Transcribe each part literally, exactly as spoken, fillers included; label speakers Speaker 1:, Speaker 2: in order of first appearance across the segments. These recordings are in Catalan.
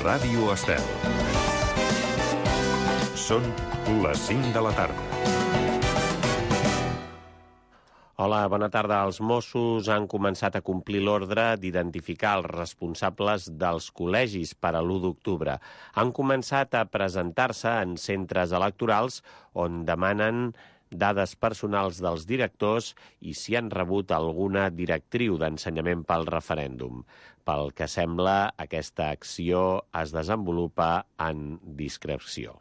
Speaker 1: Ràdio Estel. Són les cinc de la tarda.
Speaker 2: Hola, bona tarda. Els Mossos han començat a complir l'ordre d'identificar els responsables dels col·legis per a l'u d'octubre. Han començat a presentar-se en centres electorals on demanen dades personals dels directors i si han rebut alguna directriu d'ensenyament pel referèndum. Pel que sembla, aquesta acció es desenvolupa en discreció.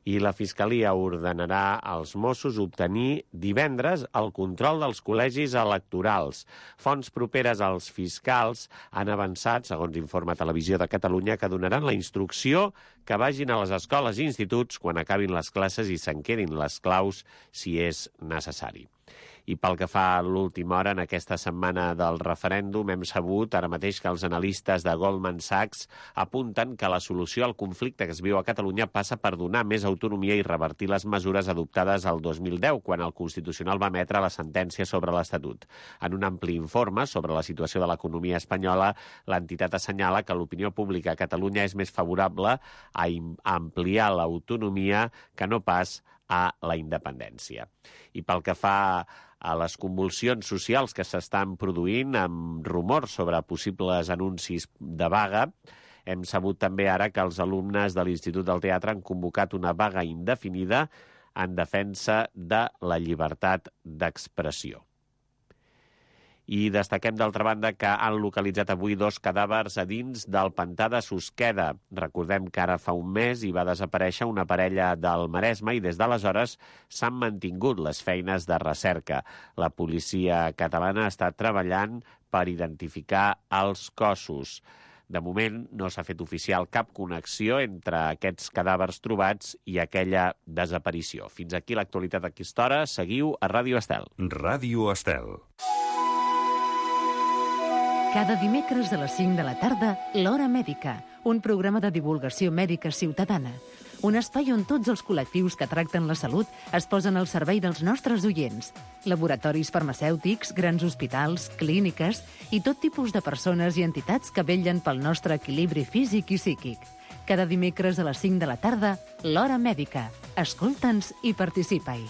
Speaker 2: I la Fiscalia ordenarà als Mossos obtenir divendres el control dels col·legis electorals. Fonts properes als fiscals han avançat, segons informa Televisió de Catalunya, que donaran la instrucció que vagin a les escoles i instituts quan acabin les classes i se'n quedin les claus si és necessari. I pel que fa a l'última hora, en aquesta setmana del referèndum, hem sabut ara mateix que els analistes de Goldman Sachs apunten que la solució al conflicte que es viu a Catalunya passa per donar més autonomia i revertir les mesures adoptades el dos mil deu, quan el Constitucional va emetre la sentència sobre l'Estatut. En un ampli informe sobre la situació de l'economia espanyola, l'entitat assenyala que l'opinió pública a Catalunya és més favorable a ampliar l'autonomia que no pas a la independència. I pel que fa a les convulsions socials que s'estan produint amb rumors sobre possibles anuncis de vaga, hem sabut també ara que els alumnes de l'Institut del Teatre han convocat una vaga indefinida en defensa de la llibertat d'expressió. I destaquem, d'altra banda, que han localitzat avui dos cadàvers a dins del pantà de Susqueda. Recordem que ara fa un mes hi va desaparèixer una parella del Maresme i des d'aleshores s'han mantingut les feines de recerca. La policia catalana està treballant per identificar els cossos. De moment no s'ha fet oficial cap connexió entre aquests cadàvers trobats i aquella desaparició. Fins aquí l'actualitat a aquesta hora. Seguiu a Ràdio Estel.
Speaker 1: Ràdio Estel.
Speaker 3: Cada dimecres a les cinc de la tarda, L'Hora Mèdica, un programa de divulgació mèdica ciutadana. Un espai on tots els col·lectius que tracten la salut es posen al servei dels nostres oients. Laboratoris farmacèutics, grans hospitals, clíniques i tot tipus de persones i entitats que vetllen pel nostre equilibri físic i psíquic. Cada dimecres a les cinc de la tarda, L'Hora Mèdica. Escolta'ns i participa-hi.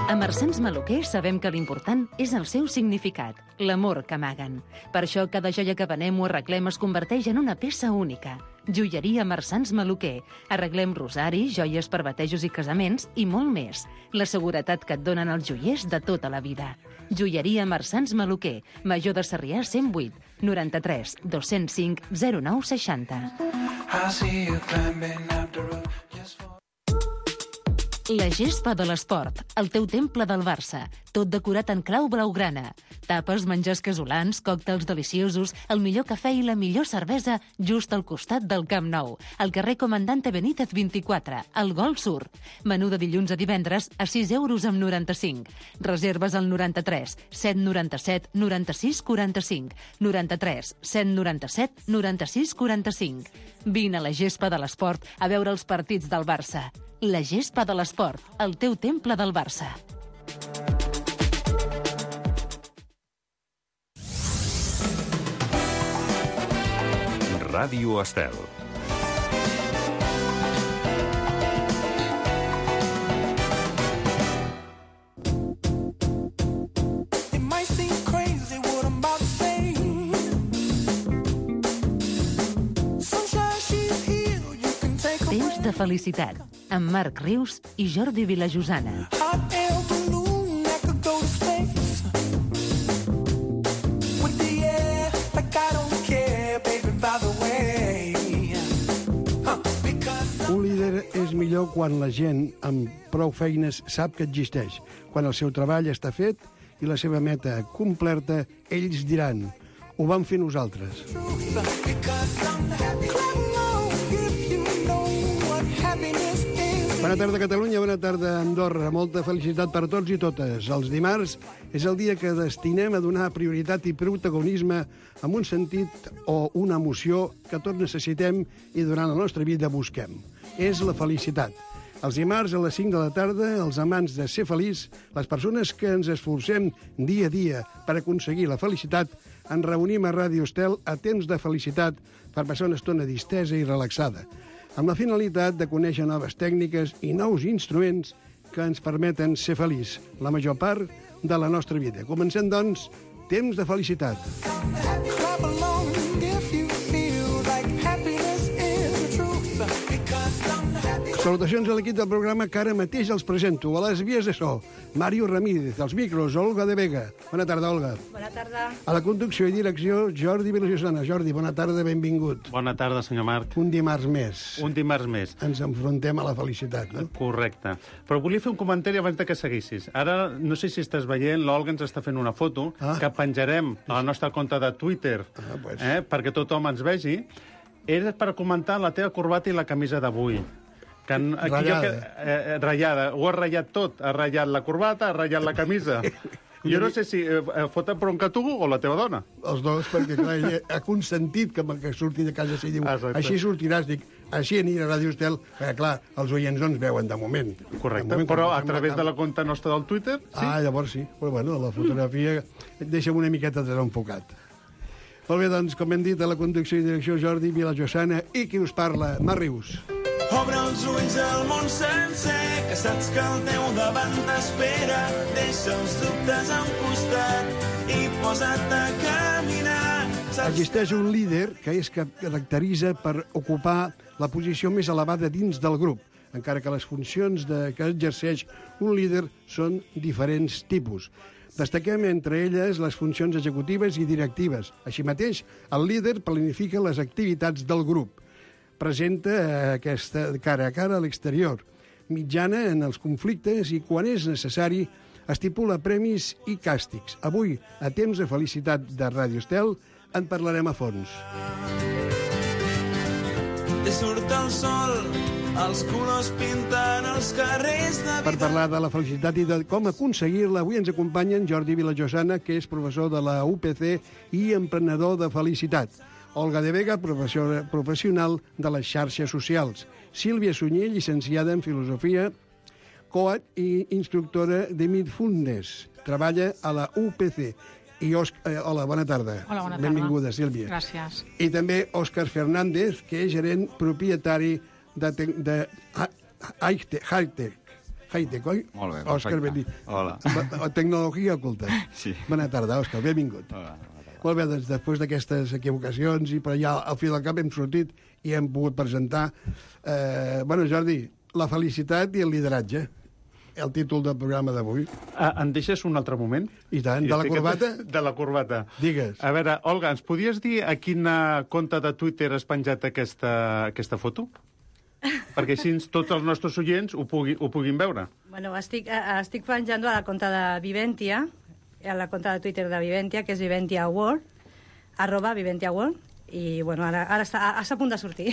Speaker 3: A Marsans Maluquer sabem que l'important és el seu significat, l'amor que amaguen. Per això cada joia que venem o arreglem es converteix en una peça única. Joieria Marsans Maluquer. Arreglem rosaris, joies per batejos i casaments i molt més. La seguretat que et donen els joiers de tota la vida. Joieria Marsans Maluquer. Major de Sarrià cent vuit, noranta-tres, dos-cents cinc, zero nou seixanta. La gespa de l'esport, el teu temple del Barça, tot decorat en clau blaugrana. Tapes, menjars casolans, còctels deliciosos, el millor cafè i la millor cervesa just al costat del Camp Nou, al carrer Comandante Benítez vint-i-quatre, al Golf Sur. Menú de dilluns a divendres a sis euros amb noranta-cinc. Reserves al noranta-tres, set noranta-set, noranta-sis quaranta-cinc, noranta-tres, set noranta-set, noranta-sis quaranta-cinc. Vine a la gespa de l'esport a veure els partits del Barça. La gespa de l'esport, el teu temple del Barça.
Speaker 1: Ràdio Estel.
Speaker 3: Temps de felicitat, amb Marc Rius i Jordi Vilajosana.
Speaker 4: Un líder és millor quan la gent amb prou feines sap que existeix. Quan el seu treball està fet i la seva meta complerta, ells diran: ho vam fer nosaltres. Bona tarda, Catalunya, bona tarda, Andorra. Molta felicitat per tots i totes. Els dimarts és el dia que destinem a donar prioritat i protagonisme amb un sentit o una emoció que tots necessitem i durant la nostra vida busquem. És la felicitat. Els dimarts a les cinc de la tarda, els amants de ser feliç, les persones que ens esforcem dia a dia per aconseguir la felicitat, ens reunim a Ràdio Estel a temps de felicitat per passar una estona distesa i relaxada, amb la finalitat de conèixer noves tècniques i nous instruments que ens permeten ser feliç la major part de la nostra vida. Comencem, doncs, Temps de felicitat. Salutacions a l'equip del programa que ara mateix els presento. A les vies de so, Mario Ramírez, als micros, Olga de Vega. Bona tarda, Olga.
Speaker 5: Bona tarda.
Speaker 4: A la conducció i direcció, Jordi Vilajosana. Jordi, bona tarda, benvingut.
Speaker 6: Bona tarda, senyor Marc.
Speaker 4: Un dimarts més.
Speaker 6: Un dimarts més.
Speaker 4: Ens enfrontem a la felicitat, no?
Speaker 6: Correcte. Però volia fer un comentari abans de que seguissis. Ara, no sé si estàs veient, l'Olga ens està fent una foto
Speaker 4: ah.
Speaker 6: que penjarem a la nostra compte de Twitter
Speaker 4: ah, pues.
Speaker 6: eh, perquè tothom ens vegi. És per comentar la teva corbata i la camisa d'avui. Que aquí
Speaker 4: ratllada.
Speaker 6: Jo, eh, ratllada. Ho ha ratllat tot. Ha ratllat la corbata, ha ratllat la camisa. Jo no sé si eh, foten bronca tu o la teva dona.
Speaker 4: Els dos, perquè clar, ella ha consentit que, que surti de casa i diu,
Speaker 6: Exacte. Així
Speaker 4: sortiràs, dic, així anirà a Ràdio Estel, perquè clar, els oients no ens veuen de moment.
Speaker 6: Correcte,
Speaker 4: de moment,
Speaker 6: però a través de la compte nostra del Twitter, sí?
Speaker 4: Ah, llavors sí, però bueno, la fotografia et deixa una miqueta desenfocat. Molt bé, doncs, com hem dit, a la conducció i direcció Jordi Vilajosana i qui us parla, Mar Rius.
Speaker 7: Obre els ulls al món sencer, que saps que al teu davant t'espera. Deixa els dubtes a un costat i posa't a caminar. Saps...
Speaker 4: Existeix un líder que es caracteritza per ocupar la posició més elevada dins del grup, encara que les funcions de, que exerceix un líder són diferents tipus. Destaquem entre elles les funcions executives i directives. Així mateix, el líder planifica les activitats del grup. Presenta aquesta cara a cara a l'exterior, mitjana en els conflictes i, quan és necessari, estipula premis i càstigs. Avui, a Temps de felicitat de Ràdio Estel, en parlarem a fons.
Speaker 7: Te surt el sol, els colors pintant els carrers de vida.
Speaker 4: Per parlar de la felicitat i de com aconseguir-la, avui ens acompanyen Jordi Vilajosana, que és professor de la U P C i emprenedor de felicitat. Olga de Vega, professional de les xarxes socials. Sílvia Sunyer, llicenciada en Filosofia, coach i instructora de Mindfulness. Treballa a la U P C. I Òscar... Eh, hola, bona tarda.
Speaker 5: Hola, bona tarda.
Speaker 4: Benvinguda, Sílvia.
Speaker 5: Gràcies.
Speaker 4: I també Òscar Fernández, que és gerent propietari de... de Hightech. Hightech, oi?
Speaker 8: Molt bé,
Speaker 4: Òscar,
Speaker 8: perfecte. Hola.
Speaker 4: Tecnologia oculta.
Speaker 8: Sí.
Speaker 4: Bona tarda, Òscar, benvingut.
Speaker 8: Hola.
Speaker 4: Molt bé, doncs, després d'aquestes equivocacions, i per allà al fil del cap hem sortit i hem pogut presentar... Eh, bueno, Jordi, la felicitat i el lideratge, el títol del programa d'avui.
Speaker 6: Ah, em deixes un altre moment?
Speaker 4: I tant, de la corbata?
Speaker 6: De la corbata.
Speaker 4: Digues.
Speaker 6: A veure, Olga, ens podies dir a quina compte de Twitter has penjat aquesta, aquesta foto? Perquè així tots els nostres oients ho, pugui, ho puguin veure.
Speaker 5: Bueno, estic, estic penjant a la compte de Viventia, a la compte de Twitter de Viventia, que és Viventia World, arroba Viventia World, i bueno, ara, ara està, està a punt de sortir.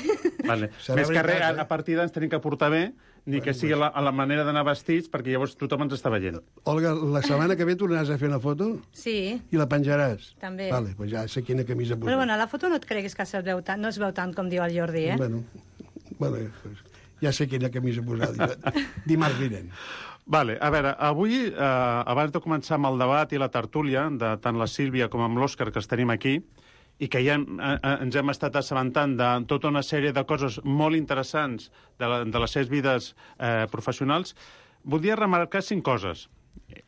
Speaker 6: Vale. Més que res, a partir d'ara ens tenim que portar bé, ni que sigui a la, a la manera d'anar vestits, perquè llavors tothom ens està veient.
Speaker 4: Olga, la setmana que ve tornaràs a fer una foto?
Speaker 5: Sí.
Speaker 4: I la penjaràs?
Speaker 5: També.
Speaker 4: Vale, doncs ja sé quina camisa posar.
Speaker 5: Però bueno, la foto no et creguis que es veu tant, no es veu tant com diu el Jordi, eh?
Speaker 4: Bueno, bueno ja sé quina camisa posar dimarts vinent.
Speaker 6: Vale, a veure, avui, eh, abans de començar amb el debat i la tertúlia, de tant la Sílvia com amb l'Òscar, que els tenim aquí, i que ja eh, ens hem estat assabentant de tota una sèrie de coses molt interessants de, la, de les seves vides eh, professionals, voldria remarcar cinc coses.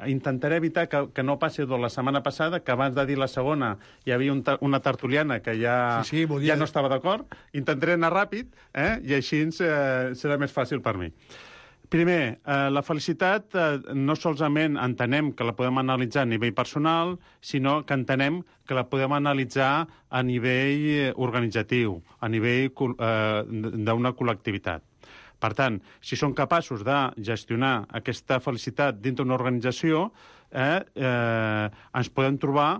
Speaker 6: Intentaré evitar que, que no passi de la setmana passada, que abans de dir la segona hi havia un, una tertuliana que ja,
Speaker 4: sí, sí, volia...
Speaker 6: ja no estava d'acord. Intentaré anar ràpid, eh, i així eh, serà més fàcil per mi. Primer, eh, la felicitat eh, no solament entenem que la podem analitzar a nivell personal, sinó que entenem que la podem analitzar a nivell organitzatiu, a nivell eh, d'una col·lectivitat. Per tant, si som capaços de gestionar aquesta felicitat dins d'una organització, eh, eh, ens podem trobar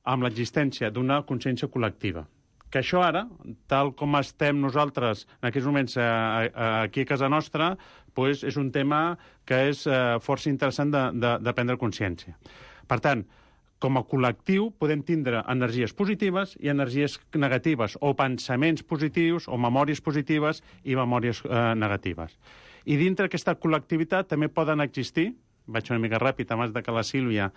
Speaker 6: amb l'existència d'una consciència col·lectiva. Que això ara, tal com estem nosaltres en aquests moments eh, aquí a casa nostra, doncs és un tema que és eh, força interessant de, de, de prendre consciència. Per tant, com a col·lectiu podem tindre energies positives i energies negatives, o pensaments positius, o memòries positives i memòries eh, negatives. I dintre d'aquesta col·lectivitat també poden existir, vaig una mica ràpid abans de que la Sílvia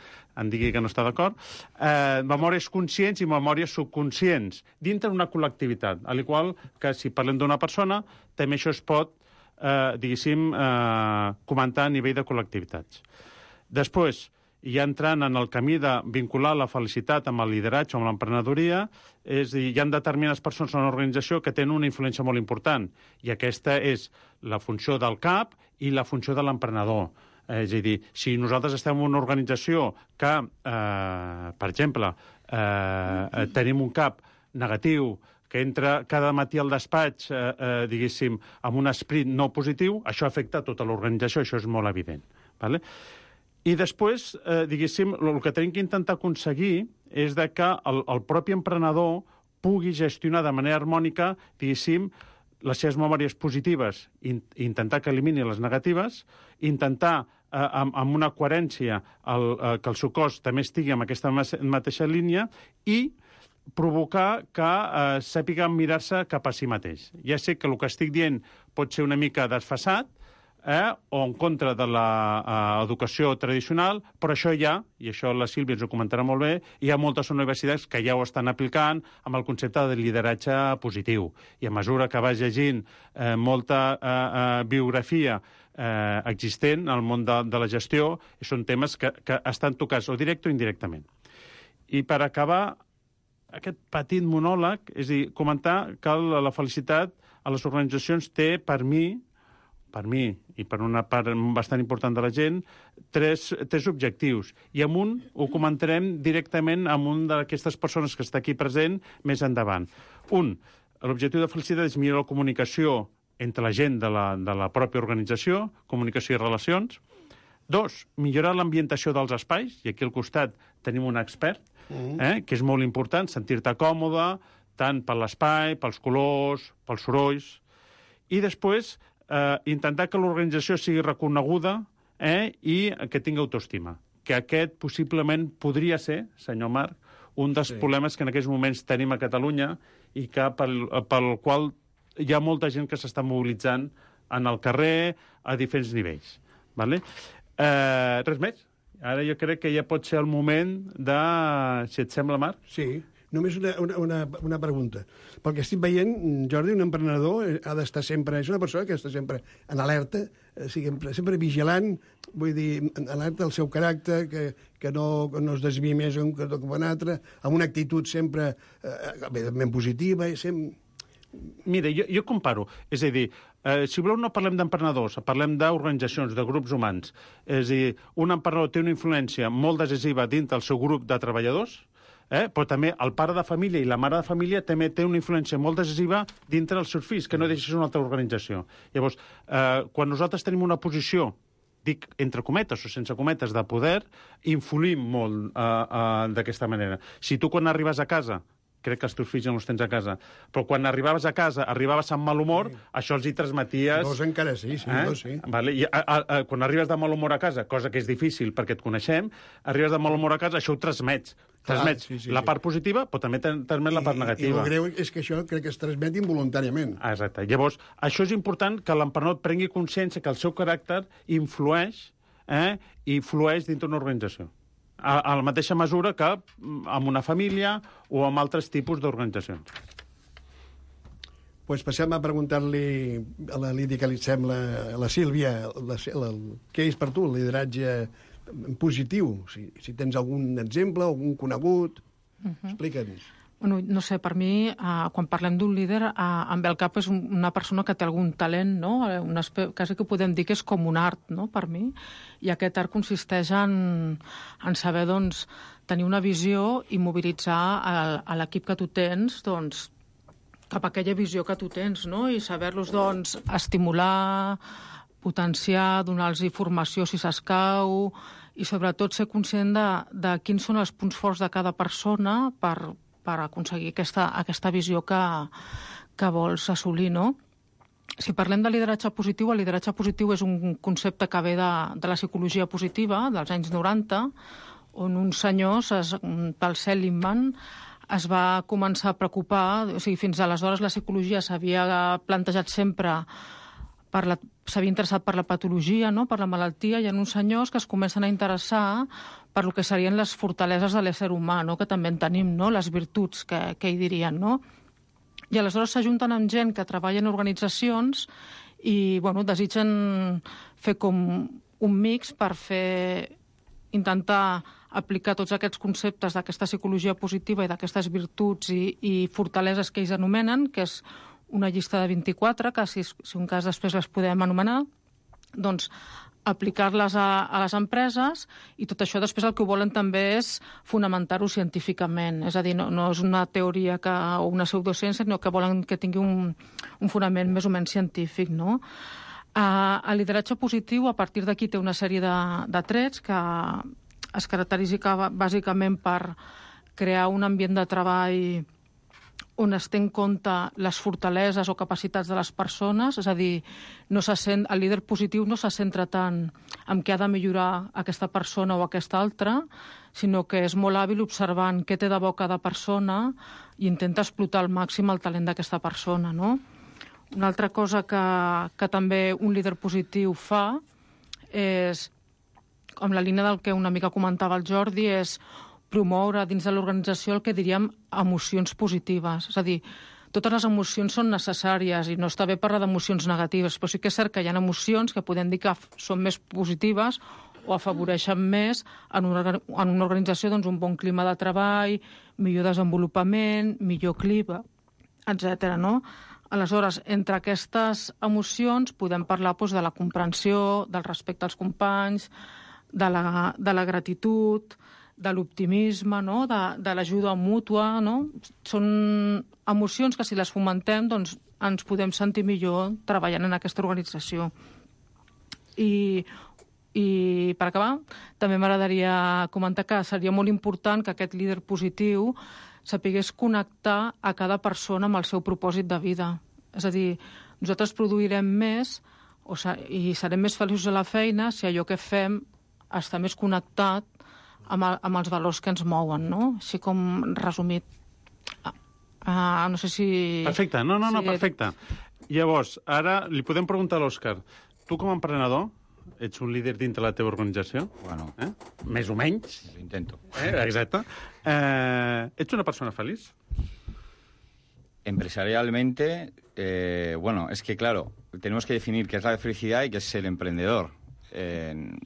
Speaker 6: em digui que no està d'acord, eh, memòries conscients i memòries subconscients dintre d'una col·lectivitat, al igual que si parlem d'una persona, també això es pot, eh, diguéssim, eh, comentar a nivell de col·lectivitats. Després, ja entrant en el camí de vincular la felicitat amb el lideratge o amb l'emprenedoria, és a dir, hi ha determinades persones en una organització que tenen una influència molt important, i aquesta és la funció del cap i la funció de l'emprenedor. És a dir, si nosaltres estem en una organització que, eh, per exemple, eh, tenim un cap negatiu, que entra cada matí al despatx, eh, eh, diguéssim, amb un esperit no positiu, això afecta tota l'organització, això és molt evident. Vale? I després, eh, diguéssim, el que tenim que intentar aconseguir és de que el, el propi emprenedor pugui gestionar de manera harmònica, diguéssim, les seves memòries positives, in, intentar que elimini les negatives, intentar eh, amb, amb una coherència el, eh, que el seu cos també estigui en aquesta mateixa línia i provocar que eh, sàpiga mirar-se cap a si mateix. Ja sé que el que estic dient pot ser una mica desfasat, eh, o en contra de l'educació tradicional, però això ja, i això la Sílvia ens ho comentarà molt bé, hi ha moltes universitats que ja ho estan aplicant amb el concepte de lideratge positiu. I a mesura que vas llegint eh, molta eh, eh, biografia eh, existent al món de, de la gestió, són temes que, que estan tocats o directe o indirectament. I per acabar aquest petit monòleg, és a dir, comentar que la, la felicitat a les organitzacions té, per mi, per mi i per una part bastant important de la gent, tres, tres objectius. I amb un ho comentarem directament amb un d'aquestes persones que està aquí present més endavant. Un, l'objectiu de felicitat és millorar la comunicació entre la gent de la, de la pròpia organització, comunicació i relacions. Dos, millorar l'ambientació dels espais, i aquí al costat tenim un expert, eh, que és molt important, sentir-te còmode, tant per l'espai, pels colors, pels sorolls. I després, eh, intentar que l'organització sigui reconeguda eh, i que tingui autoestima. Que aquest possiblement podria ser, senyor Marc, un dels sí. problemes que en aquests moments tenim a Catalunya i que pel, pel qual hi ha molta gent que s'està mobilitzant en el carrer a diferents nivells. Vale? Eh, res més? Ara jo crec que ja pot ser el moment de... Si et sembla, Marc?
Speaker 4: Sí. Només una, una, una, una pregunta. Pel que estic veient, Jordi, un emprenedor ha d'estar sempre... És una persona que està sempre en alerta, sempre, sempre vigilant, vull dir, en alerta del seu caràcter, que, que, no, que no es desviï més un que un altre, amb una actitud sempre eh, ben positiva, i sempre...
Speaker 6: Mira, jo, jo comparo. És a dir, eh, si voleu no parlem d'emprenedors, parlem d'organitzacions, de grups humans. És a dir, un emprenedor té una influència molt decisiva dins del seu grup de treballadors, eh? Però també el pare de família i la mare de família també té una influència molt decisiva dintre dels seus fills, que no deixa ser una altra organització. Llavors, eh, quan nosaltres tenim una posició, dic entre cometes o sense cometes, de poder, influïm molt eh, eh, d'aquesta manera. Si tu quan arribes a casa, crec que els teus fills ja no els tens a casa, però quan arribaves a casa, arribaves amb mal humor, sí. això els hi transmeties...
Speaker 4: Dos encara sí, sí,
Speaker 6: eh?
Speaker 4: dos sí.
Speaker 6: Vale. I, a, a, a, quan arribes de mal humor a casa, cosa que és difícil perquè et coneixem, arribes de mal humor a casa, això ho transmets. Transmets
Speaker 4: Clar, sí, sí,
Speaker 6: la part positiva, però també transmet la part negativa.
Speaker 4: I el greu és que això crec que es transmet involuntàriament.
Speaker 6: Ah, exacte. Llavors, això és important que l'emprenedor prengui consciència que el seu caràcter influeix, eh, i flueix dintre d'una organització. A, a la mateixa mesura que amb una família o amb altres tipus d'organitzacions.
Speaker 4: Pues passem a preguntar-li a la Lídia què li sembla, a la Sílvia, la, la, què és per tu el lideratge positiu? Si, si tens algun exemple, algun conegut, uh-huh. explica'ns.
Speaker 8: Bueno, no sé, per mi, eh, quan parlem d'un líder, eh, em ve al cap és una persona que té algun talent, no? Una quasi que podem dir que és com un art, no?, per mi. I aquest art consisteix en, en saber, doncs, tenir una visió i mobilitzar a, a l'equip que tu tens, doncs, cap a aquella visió que tu tens, no? I saber-los, doncs, estimular, potenciar, donar-los formació si s'escau, i sobretot ser conscient de, de quins són els punts forts de cada persona per per aconseguir aquesta, aquesta visió que, que vols assolir, no? Si parlem de lideratge positiu, el lideratge positiu és un concepte que ve de, de la psicologia positiva dels anys noranta, on uns senyors, es, pel Seligman, es va començar a preocupar, o sigui, fins aleshores la psicologia s'havia plantejat sempre per la, s'havia interessat per la patologia, no? Per la malaltia, hi ha uns senyors que es comencen a interessar per lo que serien les fortaleses de l'ésser humà, no? Que també en tenim, no? Les virtuts, que, que hi dirien, no? I aleshores s'ajunten amb gent que treballa en organitzacions i, bueno, desitgen fer com un mix per fer, intentar aplicar tots aquests conceptes d'aquesta psicologia positiva i d'aquestes virtuts i, i fortaleses que ells anomenen, que és una llista de vint-i-quatre, que si, si un cas després les podem anomenar, doncs aplicar-les a, a les empreses, i tot això després el que volen també és fonamentar-ho científicament. És a dir, no, no és una teoria que, o una pseudociència, sinó que volen que tingui un, un fonament més o menys científic, no? Uh, el lideratge positiu, a partir d'aquí, té una sèrie de, de trets que es caracteritza bàsicament per crear un ambient de treball on es té en compte les fortaleses o capacitats de les persones, és a dir, no se sent, el líder positiu no se centra tant en què ha de millorar aquesta persona o aquesta altra, sinó que és molt hàbil observant què té de bo cada persona i intenta explotar al màxim el talent d'aquesta persona, no? Una altra cosa que, que també un líder positiu fa és, com la línia del que una mica comentava el Jordi, és promoure dins de l'organització el que diríem emocions positives. És a dir, totes les emocions són necessàries i no està bé parlar d'emocions negatives, però sí que és cert que hi ha emocions que podem dir que són més positives o afavoreixen més en una, en una organització doncs, un bon clima de treball, millor desenvolupament, millor clima, etcètera. No? Aleshores, entre aquestes emocions podem parlar doncs, de la comprensió, del respecte als companys, de la, de la gratitud, de l'optimisme, no? de, de l'ajuda mútua. No? Són emocions que si les fomentem doncs, ens podem sentir millor treballant en aquesta organització. I, i per acabar, també m'agradaria comentar que seria molt important que aquest líder positiu sapigués connectar a cada persona amb el seu propòsit de vida. És a dir, nosaltres produirem més o i serem més feliços a la feina si allò que fem està més connectat amb, el, amb els valors que ens mouen, no? Així com resumit. Uh, uh, no sé si...
Speaker 6: Perfecte, no, no, no,
Speaker 8: si...
Speaker 6: perfecte. Llavors, ara li podem preguntar a l'Òscar, tu com a emprenedor, ets un líder dintre la teva organització?
Speaker 9: Bueno.
Speaker 6: Eh? Més o menys.
Speaker 9: Lo intento.
Speaker 6: Eh? Exacte. Eh, ets una persona feliç?
Speaker 9: Empresarialmente, eh, bueno, es que claro, tenemos que definir qué es la felicidad y qué es ser emprendedor. Eh,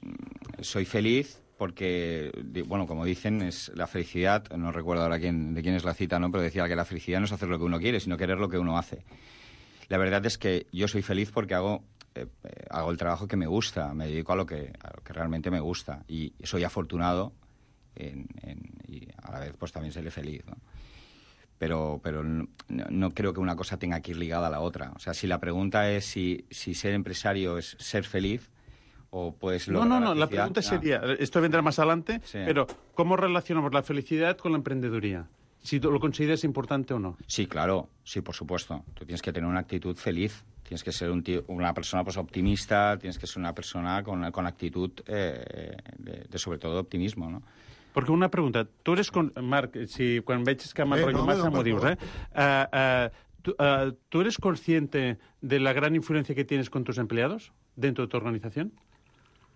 Speaker 9: soy feliz porque, bueno, como dicen, es la felicidad, no recuerdo ahora quién, de quién es la cita, ¿no? Pero decía que la felicidad no es hacer lo que uno quiere, sino querer lo que uno hace. La verdad es que yo soy feliz porque hago, eh, hago el trabajo que me gusta, me dedico a lo que, a lo que realmente me gusta y soy afortunado en, en, y a la vez pues también seré feliz, ¿no? Pero, pero no, no creo que una cosa tenga que ir ligada a la otra. O sea, si la pregunta es si, si ser empresario es ser feliz, o pues
Speaker 6: no, no, no, la pregunta sería, ah. esto vendrá más adelante, sí. Pero ¿cómo relacionamos la felicidad con la emprendeduría? Si lo consideras importante o no.
Speaker 9: Sí, claro, sí, por supuesto. Tú tienes que tener una actitud feliz, tienes que ser un tío, una persona pues optimista, tienes que ser una persona con, con actitud eh, de, de sobre todo optimismo, ¿no?
Speaker 6: Perquè una pregunta, tu eres... Con... Marc, si quan veig que m'enrotllo eh, no, massa m'ho dius, eh? Uh, uh, tu, uh, ¿Tú eres consciente de la gran influencia que tienes con tus empleados dentro de tu organización?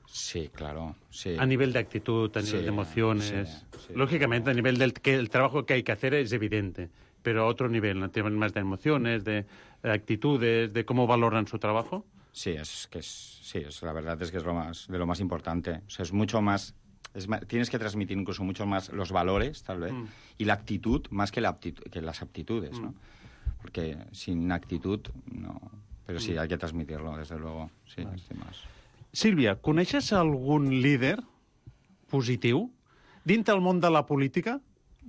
Speaker 9: Sí, claro, sí.
Speaker 6: A nivel de actitud, a nivel sí, de emociones. Sí, sí. Lógicamente, a nivel del que el trabajo que hay que hacer es evidente, pero a otro nivel, ¿no? Temas más de emociones, de, de actitudes, de cómo valoran su trabajo.
Speaker 9: Sí, es que es, sí, es, la verdad es que es lo más, de lo más importante. O sea, es mucho más... Es más, tienes que transmitir incluso mucho más los valores, tal vez, mm. y la actitud más que, la aptitud, que las aptitudes, mm. ¿no? Porque sin actitud, no... Pero sí, mm. hay que transmitirlo, desde luego. Sí, vale. Más...
Speaker 6: Sílvia, coneixes algun líder positiu dintre el món de la política?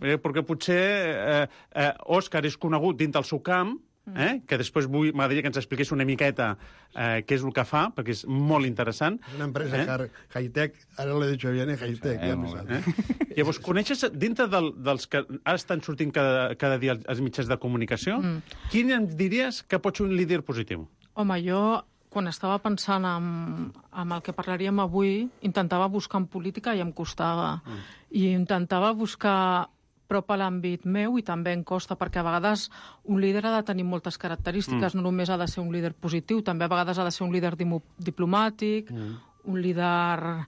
Speaker 6: Eh, perquè potser eh, eh, Òscar és conegut dintre el seu camp, eh, que després vull, m'agradaria que ens expliqués una miqueta eh, què és el que fa, perquè és molt interessant.
Speaker 4: És una empresa eh? high-tech, ara l'he dit bien, high-tech.
Speaker 6: Sí, ja eh? Llavors, coneixes, dintre del, dels que ara estan sortint cada, cada dia als mitjans de comunicació, mm. quin em diries que pot ser un líder positiu?
Speaker 8: Home, jo... quan estava pensant en, en el que parlaríem avui, intentava buscar en política i em costava. Mm. I intentava buscar prop a l'àmbit meu i també em costa, perquè a vegades un líder ha de tenir moltes característiques, mm. no només ha de ser un líder positiu, també a vegades ha de ser un líder diplomàtic, mm. un líder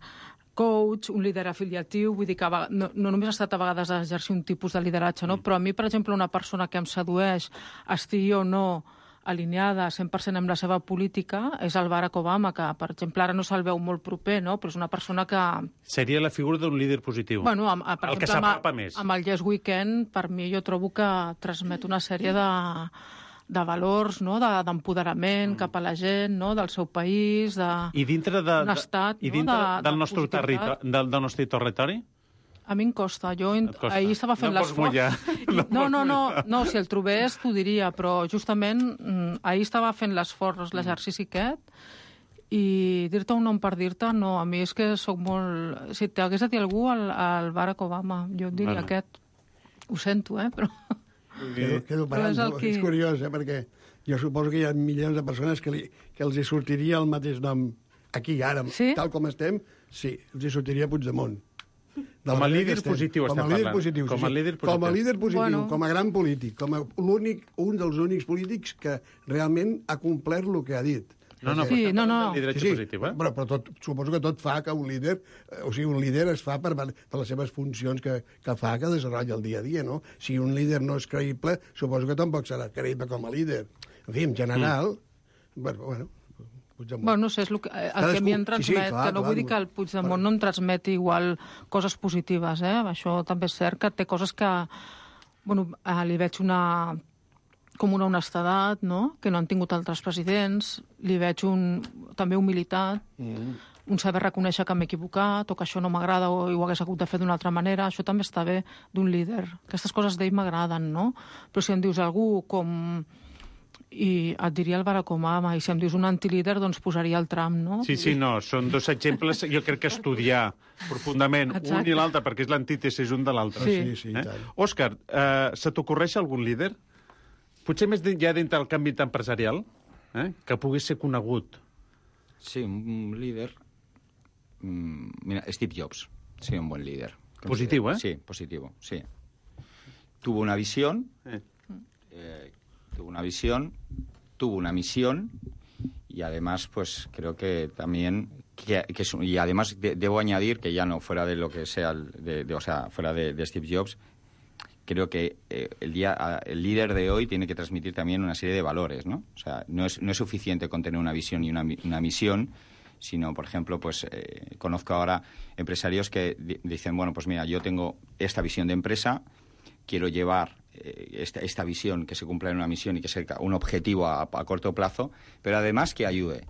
Speaker 8: coach, un líder afiliatiu, vull dir que no, no només ha estat a vegades a exercir un tipus de lideratge, no? Mm. Però a mi, per exemple, una persona que em sedueix, estigui o no alineada cent per cent amb la seva política, és el Barack Obama, que, per exemple, ara no se'l veu molt proper, no? Però és una persona que...
Speaker 6: Seria la figura d'un líder positiu.
Speaker 8: Bueno, amb, per
Speaker 6: el
Speaker 8: exemple,
Speaker 6: que s'apropa més.
Speaker 8: Amb el Yes Weekend, per mi, jo trobo que transmet una sèrie de, de valors, no? d'empoderament de, mm. cap a la gent, no? Del seu país, de...
Speaker 6: I dintre, de,
Speaker 8: un estat,
Speaker 6: i dintre
Speaker 8: no? de,
Speaker 6: del,
Speaker 8: de
Speaker 6: nostre territori, del, del nostre territori?
Speaker 8: A mi em costa. Jo costa. Ahir estava fent
Speaker 6: no
Speaker 8: l'esforç...
Speaker 6: No,
Speaker 8: no, no, no, no, si el trobés t'ho diria, però justament ahir estava fent l'esforç, l'exercici aquest, i dir-te un nom per dir-te, no, a mi és que sóc molt... Si t'hagués de dir algú, el, el Barack Obama, jo et diria bueno. aquest. Ho sento, eh, però...
Speaker 4: Quedo, quedo parant, és, el que... és curiós, eh, perquè jo suposo que hi ha milions de persones que, li, que els hi sortiria el mateix nom aquí, ara, sí? tal com estem, sí, els hi sortiria Puigdemont.
Speaker 6: Com a líder positiu estem parlant.
Speaker 4: Positiu, com, a sí, líder positiu. com a líder positiu, bueno. com a gran polític, com a l'únic, un dels únics polítics que realment ha complert el que ha dit.
Speaker 6: No, no,
Speaker 8: sí, no, no.
Speaker 6: Lideratge sí, sí, positiu, eh?
Speaker 4: Però, però tot, suposo que tot fa que un líder, o sigui, un líder es fa per, per les seves funcions que, que fa, que desenvolupa el dia a dia, no? Si un líder no és creïble, suposo que tampoc serà creïble com a líder. En fi, en general, mm. bueno, bueno, Puigdemont.
Speaker 8: Bueno, no sé, és el que, el que a mi em transmet, sí, sí, clar, que no clar, vull dir que el Puigdemont clar. no em transmeti igual coses positives, eh? Això també és cert que té coses que, bueno, li veig una com una honestedat, no?, que no han tingut altres presidents, li veig un, també humilitat, mm. un saber reconèixer que m'he equivocat o que això no m'agrada o ho hagués hagut de fer d'una altra manera, això també està bé d'un líder. Aquestes coses d'ell m'agraden, no? Però si em dius algú com... i et diria el Barack Obama, i si em dius un antilíder, doncs posaria el Trump, no?
Speaker 6: Sí, sí, no, són dos exemples, jo crec que estudiar profundament Exacte. un i l'altre, perquè és l'antítesis un de l'altre.
Speaker 4: Sí, sí, sí.
Speaker 6: Eh? Òscar, eh, se t'ocorreix algun líder? Potser més ja dintre del canvi empresarial, eh? que pogués ser conegut.
Speaker 9: Sí, un líder... Mira, Steve Jobs, sí, un buen líder.
Speaker 6: Positivo, ¿eh?
Speaker 9: Sí, positivo, sí. Tuvo una visión... Eh. Eh, tuvo una visión, tuvo una misión y además, pues creo que también, que, que es, y además de, debo añadir que ya no fuera de lo que sea, de, de, o sea, fuera de, de Steve Jobs, creo que eh, el, día, el líder de hoy tiene que transmitir también una serie de valores, ¿no? O sea, no es, no es suficiente con tener una visión y una, una misión, sino, por ejemplo, pues eh, conozco ahora empresarios que di- dicen, bueno, pues mira, yo tengo esta visión de empresa, quiero llevar Esta, esta visión, que se cumpla en una misión y que sea un objetivo a, a corto plazo, pero además que ayude,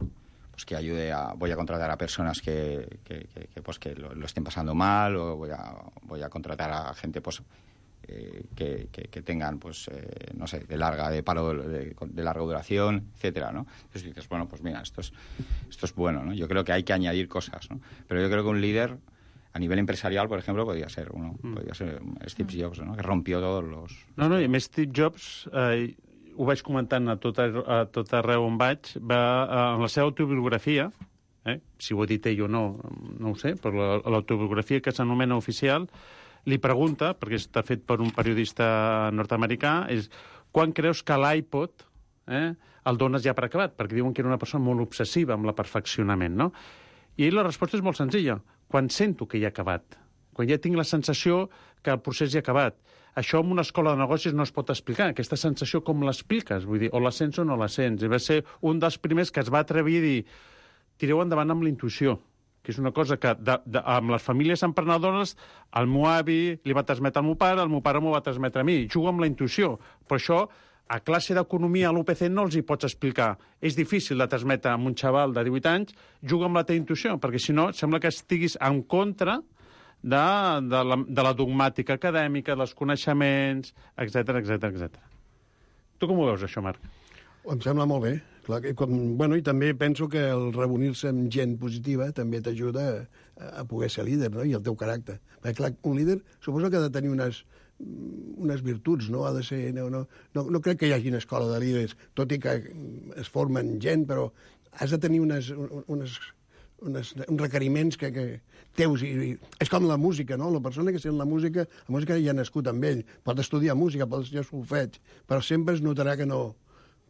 Speaker 9: pues que ayude a, voy a contratar a personas que, que, que, que pues que lo, lo estén pasando mal, o voy a, voy a contratar a gente pues eh, que, que, que tengan pues eh, no sé, de larga, de paro de, de larga duración, etcétera, ¿no? Entonces dices, bueno, pues mira, esto es, esto es bueno, ¿no? Yo creo que hay que añadir cosas, ¿no? Pero yo creo que un líder a nivel empresarial, por ejemplo, podría ser uno, mm. podría ser Steve Jobs, ¿no? Que rompió todos los...
Speaker 6: No, no, i més Steve Jobs, eh, ho vaig comentant a tot, a tot arreu on vaig, va, eh, en la seva autobiografia, eh, si ho he dit ell o no, no ho sé, però l'autobiografia que s'anomena oficial, li pregunta, perquè està fet per un periodista nord-americà, és quan creus que l'iPod eh, el dones ja per acabat? Perquè diuen que era una persona molt obsessiva amb el perfeccionament, no? I la resposta és molt senzilla. Quan sento que ja ha acabat, quan ja tinc la sensació que el procés ja ha acabat. Això en una escola de negocis no es pot explicar. Aquesta sensació com l'expliques? Vull dir, o la sents o no la sents. I va ser un dels primers que es va atrevir a dir tireu endavant amb la intuïció, que és una cosa que de, de, amb les famílies emprenedores el meu avi li va transmetre al meu pare, el meu pare m'ho va transmetre a mi. Juga amb la intuïció. Però això a classe d'economia a l'U P C no els hi pots explicar. És difícil de transmetre a un xaval de divuit anys, juga amb la teva intuïció, perquè si no sembla que estiguis en contra de, de, la, de la dogmàtica acadèmica, dels coneixements, etcètera, etcètera, etcètera. Tu com ho veus, això, Marc?
Speaker 4: Em sembla molt bé. Clar, que, com, bueno, i també penso que el reunir-se amb gent positiva també t'ajuda a, a poder ser líder, no?, i el teu caràcter. Perquè, clar, un líder suposo que ha de tenir unes unes virtuts, no? Ha de ser... No, no, no, no crec que hi hagi una escola de líders, tot i que es formen gent, però has de tenir unes, unes, unes, uns requeriments que, que teus. I, i, és com la música, no? La persona que sent la música, la música ja ha nascut amb ell. Pot estudiar música, pot estudiar solfeig, però sempre es notarà que no,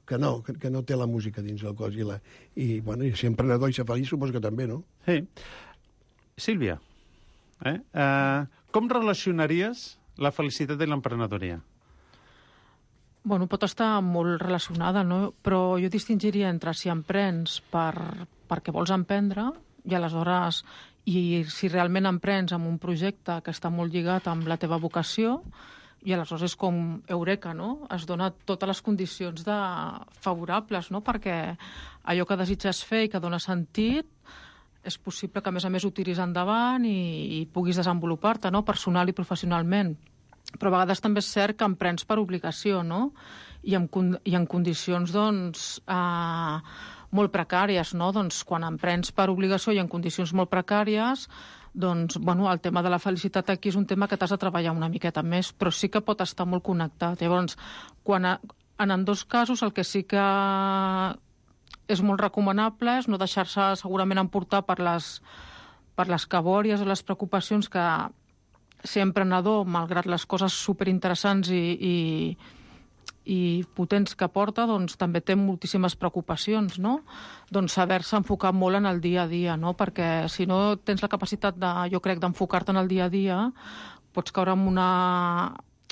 Speaker 4: que no, que, que no té la música dins del cos. I, la, i, bueno, i ser emprenedor i ser feliç suposo que també, no?
Speaker 6: Sí. Sílvia, eh? Uh, com relacionaries la felicitat i l'emprenedoria?
Speaker 8: Bueno, pot estar molt relacionada, no? Però jo distingiria entre si emprens per, perquè vols emprendre i aleshores, i si realment emprens amb un projecte que està molt lligat amb la teva vocació, i aleshores és com eureka, no? Es dona totes les condicions de favorables, no? Perquè allò que desitges fer i que dona sentit és possible que, a més a més, ho tiris endavant i, i puguis desenvolupar-te, no? Personal i professionalment. Però a vegades també és cert que emprens per obligació, no? I en, i en condicions, doncs, eh, molt precàries, no? Doncs quan emprens per obligació i en condicions molt precàries, doncs, bueno, el tema de la felicitat aquí és un tema que t'has de treballar una miqueta més, però sí que pot estar molt connectat. Llavors, quan a, en ambdós casos, el que sí que és molt recomanable és no deixar-se segurament emportar per les, per les cabòries o les preocupacions que ser emprenedor, malgrat les coses superinteressants i, i, i potents que porta, doncs també té moltíssimes preocupacions, no? Doncs saber-se enfocar molt en el dia a dia, no? Perquè si no tens la capacitat, de, jo crec, d'enfocar-te en el dia a dia, pots caure en una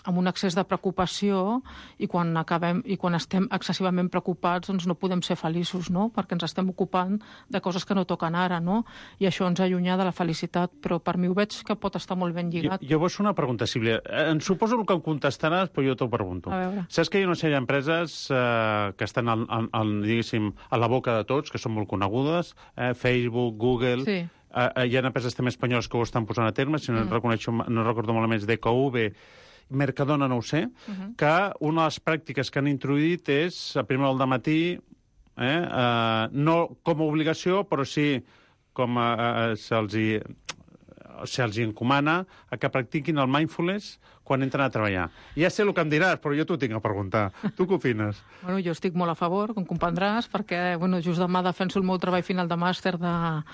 Speaker 8: amb un excés de preocupació i quan acabem i quan estem excessivament preocupats doncs no podem ser feliços, no? Perquè ens estem ocupant de coses que no toquen ara, no? I això ens allunya de la felicitat, però per mi ho veig que pot estar molt ben lligat.
Speaker 6: Jo, jo vull fer una pregunta, Sílvia. Em suposo que em contestaràs, però jo t'ho pregunto.
Speaker 8: A veure.
Speaker 6: Saps que hi ha una sèrie d'empreses eh, que estan al, al, al, diguéssim, a la boca de tots, que són molt conegudes, eh, Facebook, Google...
Speaker 8: Sí.
Speaker 6: Eh, hi ha empreses també espanyoles que ho estan posant a terme, si no, mm. reconeixo, no recordo malament, D K V, Mercadona, no ho sé, uh -huh. que una de les pràctiques que han introduït és a primera hora del matí, eh, eh, no com a obligació, però sí com a, a, se'ls hi, se'ls hi encomana a que practiquin el mindfulness quan entren a treballar. Ja sé el que em diràs, però jo t'ho tinc a preguntar. Tu què opines?
Speaker 8: Bueno, jo estic molt a favor, com comprendràs, perquè bueno, just demà defenso el meu treball final de màster de...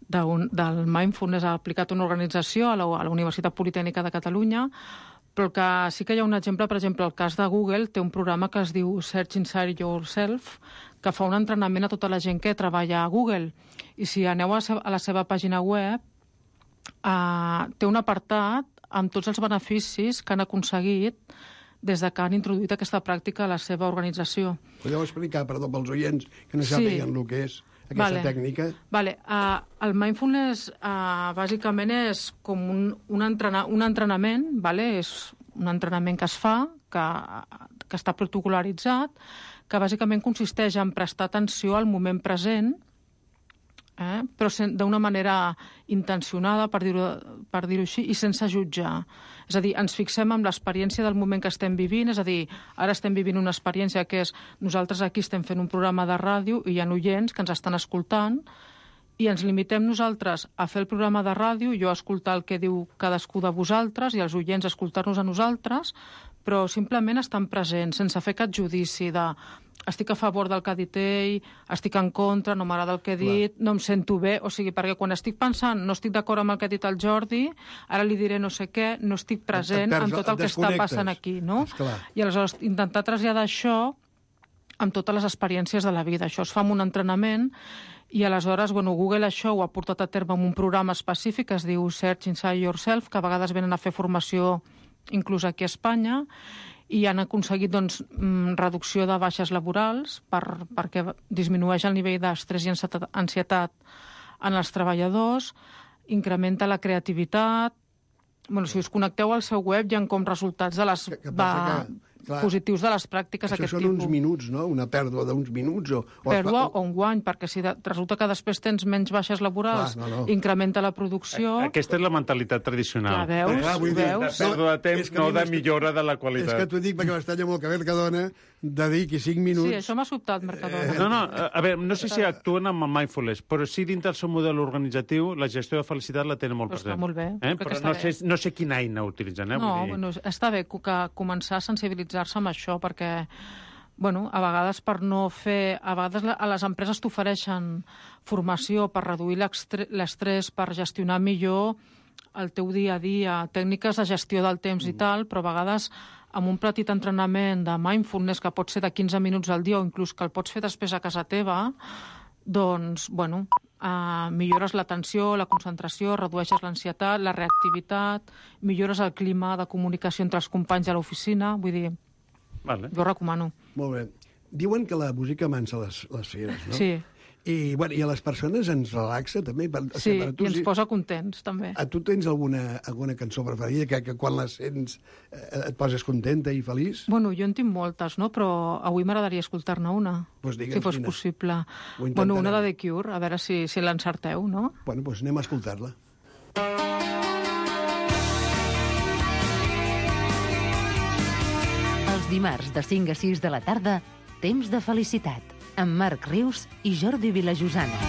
Speaker 8: De un, del mindfulness aplicat a una organització a la, a la Universitat Politècnica de Catalunya, però que sí que hi ha un exemple, per exemple, el cas de Google té un programa que es diu Search Inside Yourself, que fa un entrenament a tota la gent que treballa a Google. I si aneu a, a la seva pàgina web, eh, té un apartat amb tots els beneficis que han aconseguit des de que han introduït aquesta pràctica a la seva organització.
Speaker 4: Podeu explicar, perdó, pels oients que no sàpiguen sí. el que és aquesta
Speaker 8: vale.
Speaker 4: tècnica?
Speaker 8: Vale. Uh, el mindfulness uh, bàsicament és com un, un, entrena, un entrenament, vale? És un entrenament que es fa, que, que està protocolaritzat, que bàsicament consisteix en prestar atenció al moment present, eh? Però d'una manera intencionada, per dir-ho per dir-ho així, i sense jutjar. És a dir, ens fixem en l'experiència del moment que estem vivint, és a dir, ara estem vivint una experiència que és nosaltres aquí estem fent un programa de ràdio i hi ha oients que ens estan escoltant i ens limitem nosaltres a fer el programa de ràdio, jo a escoltar el que diu cadascú de vosaltres i els oients a escoltar-nos a nosaltres, però simplement estan presents, sense fer cap judici de estic a favor del que ha dit ell, estic en contra, no m'agrada el que he dit, Clar. no em sento bé, o sigui, perquè quan estic pensant no estic d'acord amb el que ha dit el Jordi, ara li diré no sé què, no estic present en tot el que està passant aquí, no? I aleshores intentar traslladar això amb totes les experiències de la vida. Això es fa amb un entrenament i aleshores, bueno, Google això ho ha portat a terme amb un programa específic que es diu Search Inside Yourself, que a vegades venen a fer formació inclús aquí a Espanya, i han aconseguit doncs, reducció de baixes laborals per, perquè disminueix el nivell d'estrès i ansietat en els treballadors, incrementa la creativitat. Bueno, si us connecteu al seu web hi ha com resultats de les
Speaker 4: que, que va, que, clar, positius
Speaker 8: de les pràctiques d'aquest tipus.
Speaker 4: Això són uns minuts, no? Una pèrdua d'uns minuts. O, o
Speaker 8: pèrdua o un guany, perquè si de, resulta que després tens menys baixes laborals, clar, no, no. incrementa la producció...
Speaker 6: Aquesta és la mentalitat tradicional.
Speaker 8: Ja veus,
Speaker 4: clar, vull dir,
Speaker 8: veus?
Speaker 6: De pèrdua de temps, no de millora de la qualitat.
Speaker 4: És que t'ho dic perquè m'estalla molt que Mercadona dediqui cinc minuts...
Speaker 8: Sí, això m'ha sobtat, Mercadona.
Speaker 6: No, no, a veure, no sé si actuen amb el mindfulness, però sí dintre del seu model organitzatiu la gestió de felicitat la tenen molt
Speaker 8: però
Speaker 6: present.
Speaker 8: Està molt bé.
Speaker 6: Eh? Però no sé, no sé quina eina utilitzen. Eh?
Speaker 8: No,
Speaker 6: Vull dir...
Speaker 8: bueno, està bé que començar a sensibilitzar-se amb això, perquè bueno, a vegades per no fer... A vegades a les empreses t'ofereixen formació per reduir l'estrès, per gestionar millor el teu dia a dia, tècniques de gestió del temps mm. i tal, però a vegades amb un petit entrenament de mindfulness que pot ser de quinze minuts al dia o inclús que el pots fer després a casa teva, doncs, bueno, eh, millores l'atenció, la concentració, redueixes l'ansietat, la reactivitat, millores el clima de comunicació entre els companys a l'oficina, vull dir...
Speaker 6: Vale.
Speaker 8: Jo recomano.
Speaker 4: Molt bé. Diuen que la música mansa les, les fieres, no?
Speaker 8: Sí.
Speaker 4: I, bueno, I a les persones ens relaxa, també? Per,
Speaker 8: sí,
Speaker 4: per tu,
Speaker 8: i ens
Speaker 4: sí.
Speaker 8: posa contents, també.
Speaker 4: A tu tens alguna, alguna cançó preferida que, que quan la sents eh, et poses contenta i feliç?
Speaker 8: Bueno, jo en tinc moltes, no? Però avui m'agradaria escoltar-ne una,
Speaker 4: pues digue'ns
Speaker 8: si fos
Speaker 4: quina.
Speaker 8: possible. Bueno, una de The Cure, a veure si, si l'encerteu, no?
Speaker 4: Bueno, doncs pues anem a escoltar-la.
Speaker 3: Els dimarts de cinc a sis de la tarda, Temps de felicitat, amb Marc Rius i Jordi Vilajosana.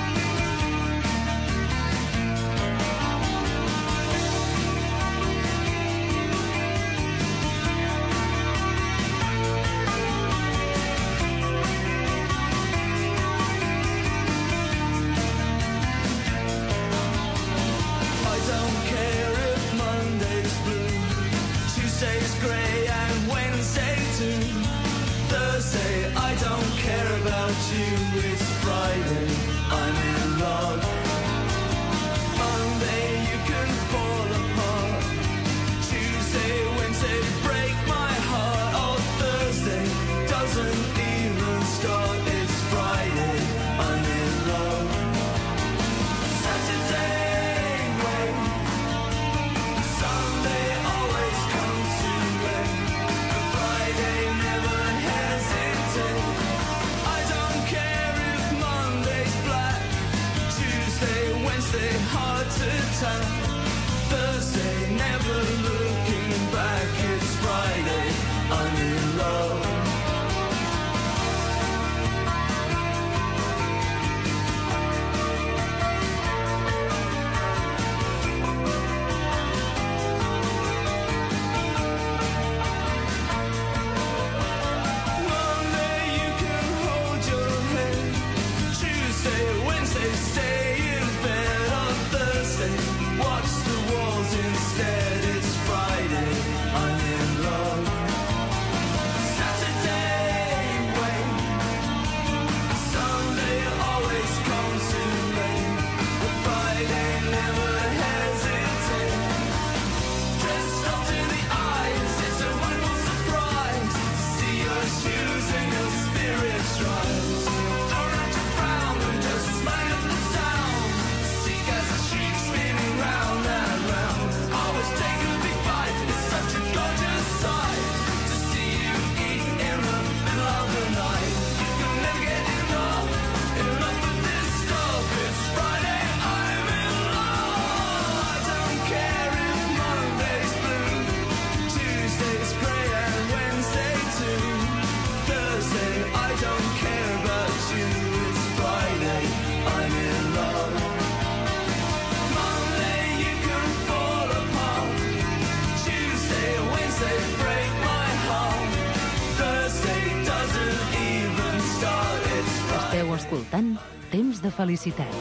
Speaker 3: Escoltant Temps de felicitat.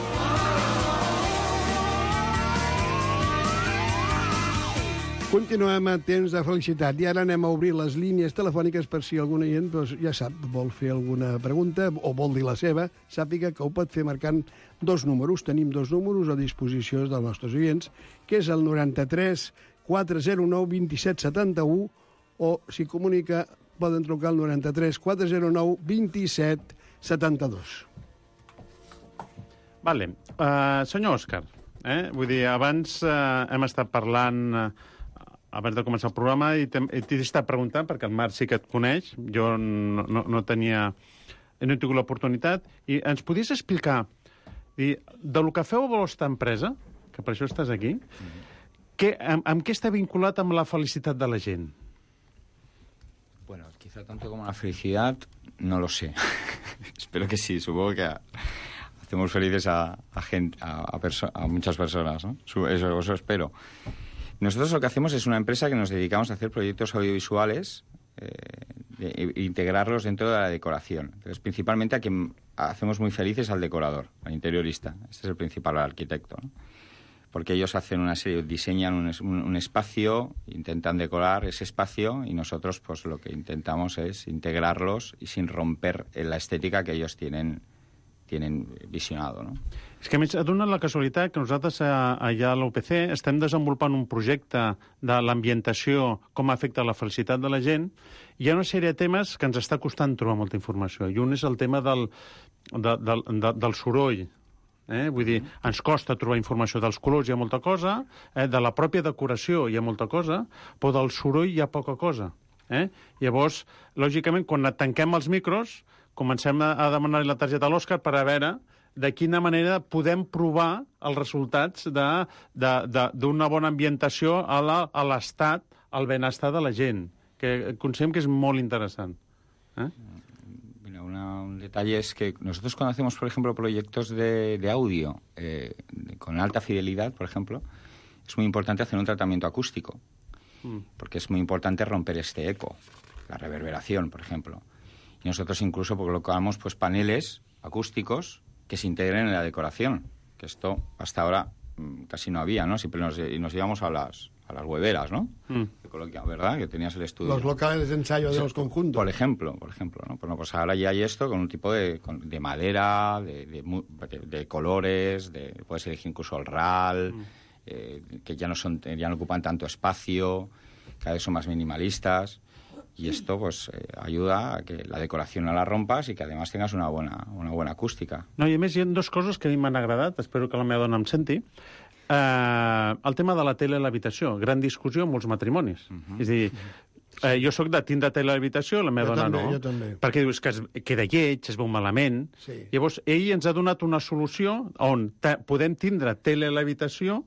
Speaker 4: Continuem a Temps de felicitat i ara anem a obrir les línies telefòniques per si alguna gent, doncs, ja sap, vol fer alguna pregunta o vol dir la seva, sàpiga que ho pot fer marcant dos números. Tenim dos números a disposició dels nostres oients, que és el noranta-tres quatre zero nou vint set setanta-u o, si comunica, poden trucar al noranta-tres quatre zero nou vint set setanta-dos.
Speaker 6: Vale. Uh, senyor Òscar, eh? vull dir, abans uh, hem estat parlant, uh, abans de començar el programa, i t'he estat preguntant, perquè el Marc sí que et coneix, jo no, no, no tenia... no he tingut l'oportunitat, i ens podies explicar, dir, de lo que feu a la vostra empresa, que per això estàs aquí, mm-hmm. que, amb, amb què està vinculat amb la felicitat de la gent?
Speaker 9: Bueno, quizá tanto como la felicidad, no lo sé. Espero que sí, supongo que... hacemos felices a, a, gente, a, a, perso a muchas personas, ¿no? Eso, eso espero. Nosotros lo que hacemos es una empresa que nos dedicamos a hacer proyectos audiovisuales, eh, de integrarlos dentro de la decoración. Entonces, principalmente a quien hacemos muy felices al decorador, al interiorista. Este es el principal, al arquitecto, ¿no? Porque ellos hacen una serie, diseñan un, un, un espacio, intentan decorar ese espacio y nosotros pues lo que intentamos es integrarlos y sin romper la estética que ellos tienen, tienen visionado, no?
Speaker 6: És que, a més, ha donat la casualitat que nosaltres a, allà a l'U P C estem desenvolupant un projecte de l'ambientació, com afecta la felicitat de la gent, i hi ha una sèrie de temes que ens està costant trobar molta informació. I un és el tema del, de, del, de, del soroll. Eh? Vull dir, ens costa trobar informació dels colors, hi ha molta cosa, eh? de la pròpia decoració hi ha molta cosa, però del soroll hi ha poca cosa. Eh? Llavors, lògicament, quan tanquem els micros, comencem a, a demanar la targeta a l'Òscar per a veure de quina manera podem provar els resultats d'una bona ambientació a l'estat, al benestar de la gent, que considerem que és molt interessant. ¿Eh?
Speaker 9: Mira, una, un detalle es que nosotros cuando hacemos, por ejemplo, proyectos de, de audio eh, con alta fidelidad, por ejemplo, es muy importante hacer un tratamiento acústico, mm. porque es muy importante romper este eco, la reverberación, por ejemplo. Y nosotros incluso colocamos pues paneles acústicos que se integren en la decoración, que esto hasta ahora mmm, casi no había, ¿no? Siempre nos, y nos íbamos a las, a las hueveras, ¿no? Mm. ¿Verdad? Que tenías el estudio.
Speaker 4: Los locales de ensayo de los conjuntos.
Speaker 9: Por ejemplo, por ejemplo, ¿no? Bueno, pues ahora ya hay esto con un tipo de, de madera, de, de, de, de colores, de, puedes elegir incluso el R A L, mm. eh, que ya no, son, ya no ocupan tanto espacio, cada vez son más minimalistas. Y esto pues eh, ayuda a que la decoración no la rompas y que además tengas una buena, una buena acústica.
Speaker 6: No, i a més hi ha dues coses que a mi m'han agradat, espero que la meva dona em senti. Uh, el tema de la tele a l'habitació, gran discussió en molts matrimonis. Uh -huh. És a dir, uh, jo sóc de tindre tele a l'habitació, la meva
Speaker 4: jo
Speaker 6: dona
Speaker 4: també,
Speaker 6: no.
Speaker 4: Jo també.
Speaker 6: Perquè dius que es queda lleig, es veu malament.
Speaker 4: Sí.
Speaker 6: Llavors, ell ens ha donat una solució on podem tindre tele a l'habitació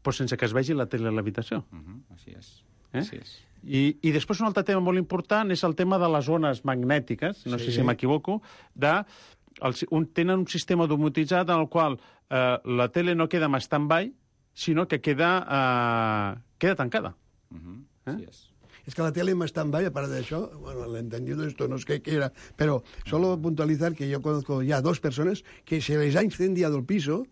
Speaker 6: però sense que es vegi la tele a l'habitació.
Speaker 9: Uh -huh. Així és.
Speaker 6: Eh?
Speaker 9: Així és.
Speaker 6: I, I després un altre tema molt important és el tema de les ones magnètiques, no sí. sé si m'equivoco, de, el, un, tenen un sistema domotitzat en el qual eh, la tele no queda en stand-by, sinó que queda, eh, queda tancada.
Speaker 9: Uh -huh.
Speaker 6: ¿Eh?
Speaker 9: Así es.
Speaker 4: Es que la tele en stand-by, aparte de eso, bueno, el entendido de esto no es que quiera, pero solo puntualizar que yo conozco ya dos personas que se les ha incendiado el piso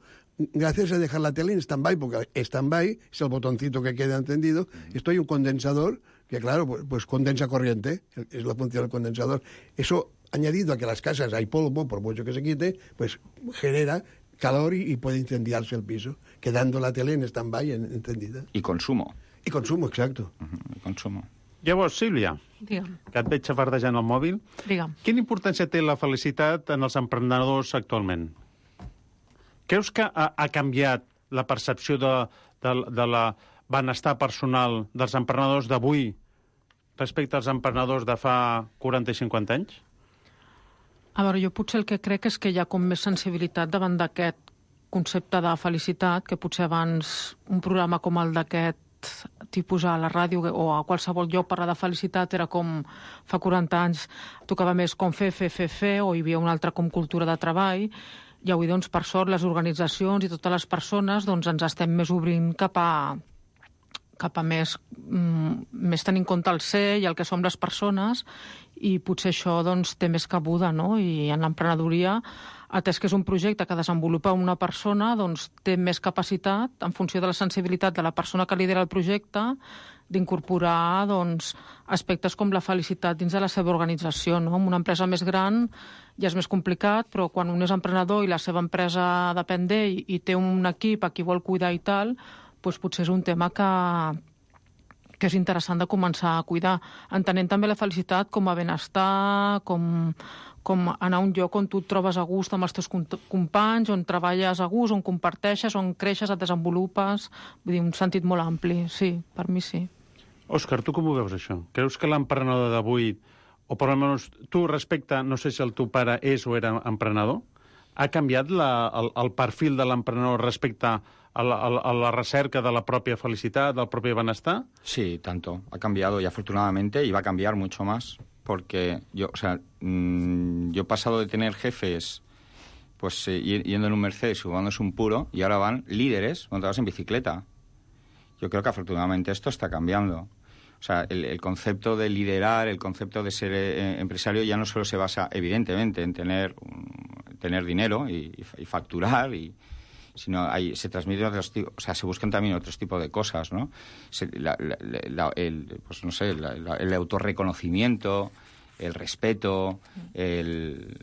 Speaker 4: gracias a dejar la tele en stand-by, porque stand-by es el botoncito que queda encendido, esto hay un condensador que, claro, pues, pues condensa corriente, es la función del condensador. Eso, añadido a que en las casas hay polvo, por mucho que se quite, pues genera calor y, y puede incendiarse el piso, quedando la tele en stand-by en, encendida.
Speaker 9: Y consumo.
Speaker 4: I consumo, exacto.
Speaker 9: Uh -huh. I consumo.
Speaker 6: Llavors, Sílvia,
Speaker 8: Digue'm.
Speaker 6: que et veig xafardejant el mòbil,
Speaker 8: Digue'm.
Speaker 6: quina importància té la felicitat en els emprenedors actualment? Creus que ha, ha canviat la percepció de, de, de la benestar personal dels emprenedors d'avui respecte als emprenedors de fa quaranta i cinquanta anys?
Speaker 8: A veure, jo potser el que crec és que hi ha com més sensibilitat davant d'aquest concepte de felicitat, que potser abans un programa com el d'aquest tipus a la ràdio o a qualsevol lloc parlar de felicitat era com fa quaranta anys tocava més com fer, fer, fer, fer, o hi havia una altra com cultura de treball, i avui, doncs, per sort, les organitzacions i totes les persones doncs, ens estem més obrint cap a, cap a més, mm, més tenir en compte el ser i el que som les persones, i potser això doncs, té més cabuda, no? I en l'emprenedoria, atès que és un projecte que desenvolupa una persona, doncs té més capacitat, en funció de la sensibilitat de la persona que lidera el projecte, d'incorporar doncs, aspectes com la felicitat dins de la seva organització. No? En una empresa més gran ja és més complicat, però quan un és emprenedor i la seva empresa depèn d'ell i té un equip a qui vol cuidar i tal, doncs potser és un tema que, que és interessant de començar a cuidar, entenent també la felicitat com a benestar, com, com anar a un lloc on tu et trobes a gust amb els teus companys, on treballes a gust, on comparteixes, on creixes, et desenvolupes, vull dir, un sentit molt ampli, sí, per mi sí.
Speaker 6: Òscar, tu com ho veus, això? Creus que l'emprenedor d'avui, o per almenys tu respecte, no sé si el teu pare és o era emprenedor, ha canviat la, el, el perfil de l'emprenedor respecte a la, a la recerca de la propia felicitat, del propi benestar?
Speaker 9: Sí, tanto. Ha cambiado y afortunadamente, y va a cambiar mucho más, porque yo, o sea, mmm, yo he pasado de tener jefes pues eh, yendo en un Mercedes, jugándose un puro, y ahora van líderes montados en bicicleta. Yo creo que afortunadamente esto está cambiando. O sea, el, el concepto de liderar, el concepto de ser eh, empresario ya no solo se basa, evidentemente, en tener, um, tener dinero y, y facturar, y, sino hay, se transmiten otros tipos, o sea, se buscan también otros tipos de cosas, ¿no? Se, la, la, la, el, pues no sé, la, la, el autorreconocimiento, el respeto, el...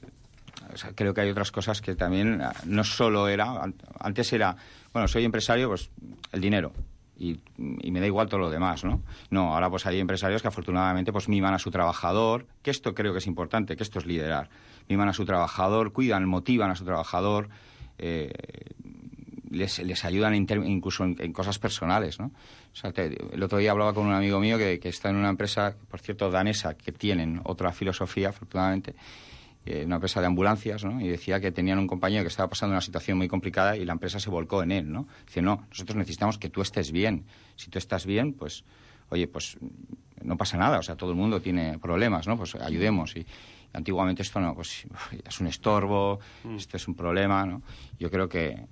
Speaker 9: O sea, creo que hay otras cosas que también no solo era... Antes era, bueno, soy empresario, pues el dinero. Y, y me da igual todo lo demás, ¿no? No, ahora pues hay empresarios que afortunadamente pues miman a su trabajador, que esto creo que es importante, que esto es liderar. Miman a su trabajador, cuidan, motivan a su trabajador, eh, les, les ayudan inter, incluso en, en cosas personales, ¿no? O sea, te, el otro día hablaba con un amigo mío que, que está en una empresa, por cierto, danesa, que tienen otra filosofía, afortunadamente, una empresa de ambulancias, ¿no? Y decía que tenían un compañero que estaba pasando una situación muy complicada y la empresa se volcó en él, ¿no? Dice, no, nosotros necesitamos que tú estés bien. Si tú estás bien, pues, oye, pues no pasa nada. O sea, todo el mundo tiene problemas, ¿no? Pues ayudemos. Y, y antiguamente esto no, pues es un estorbo, mm. esto es un problema, ¿no? Yo creo que,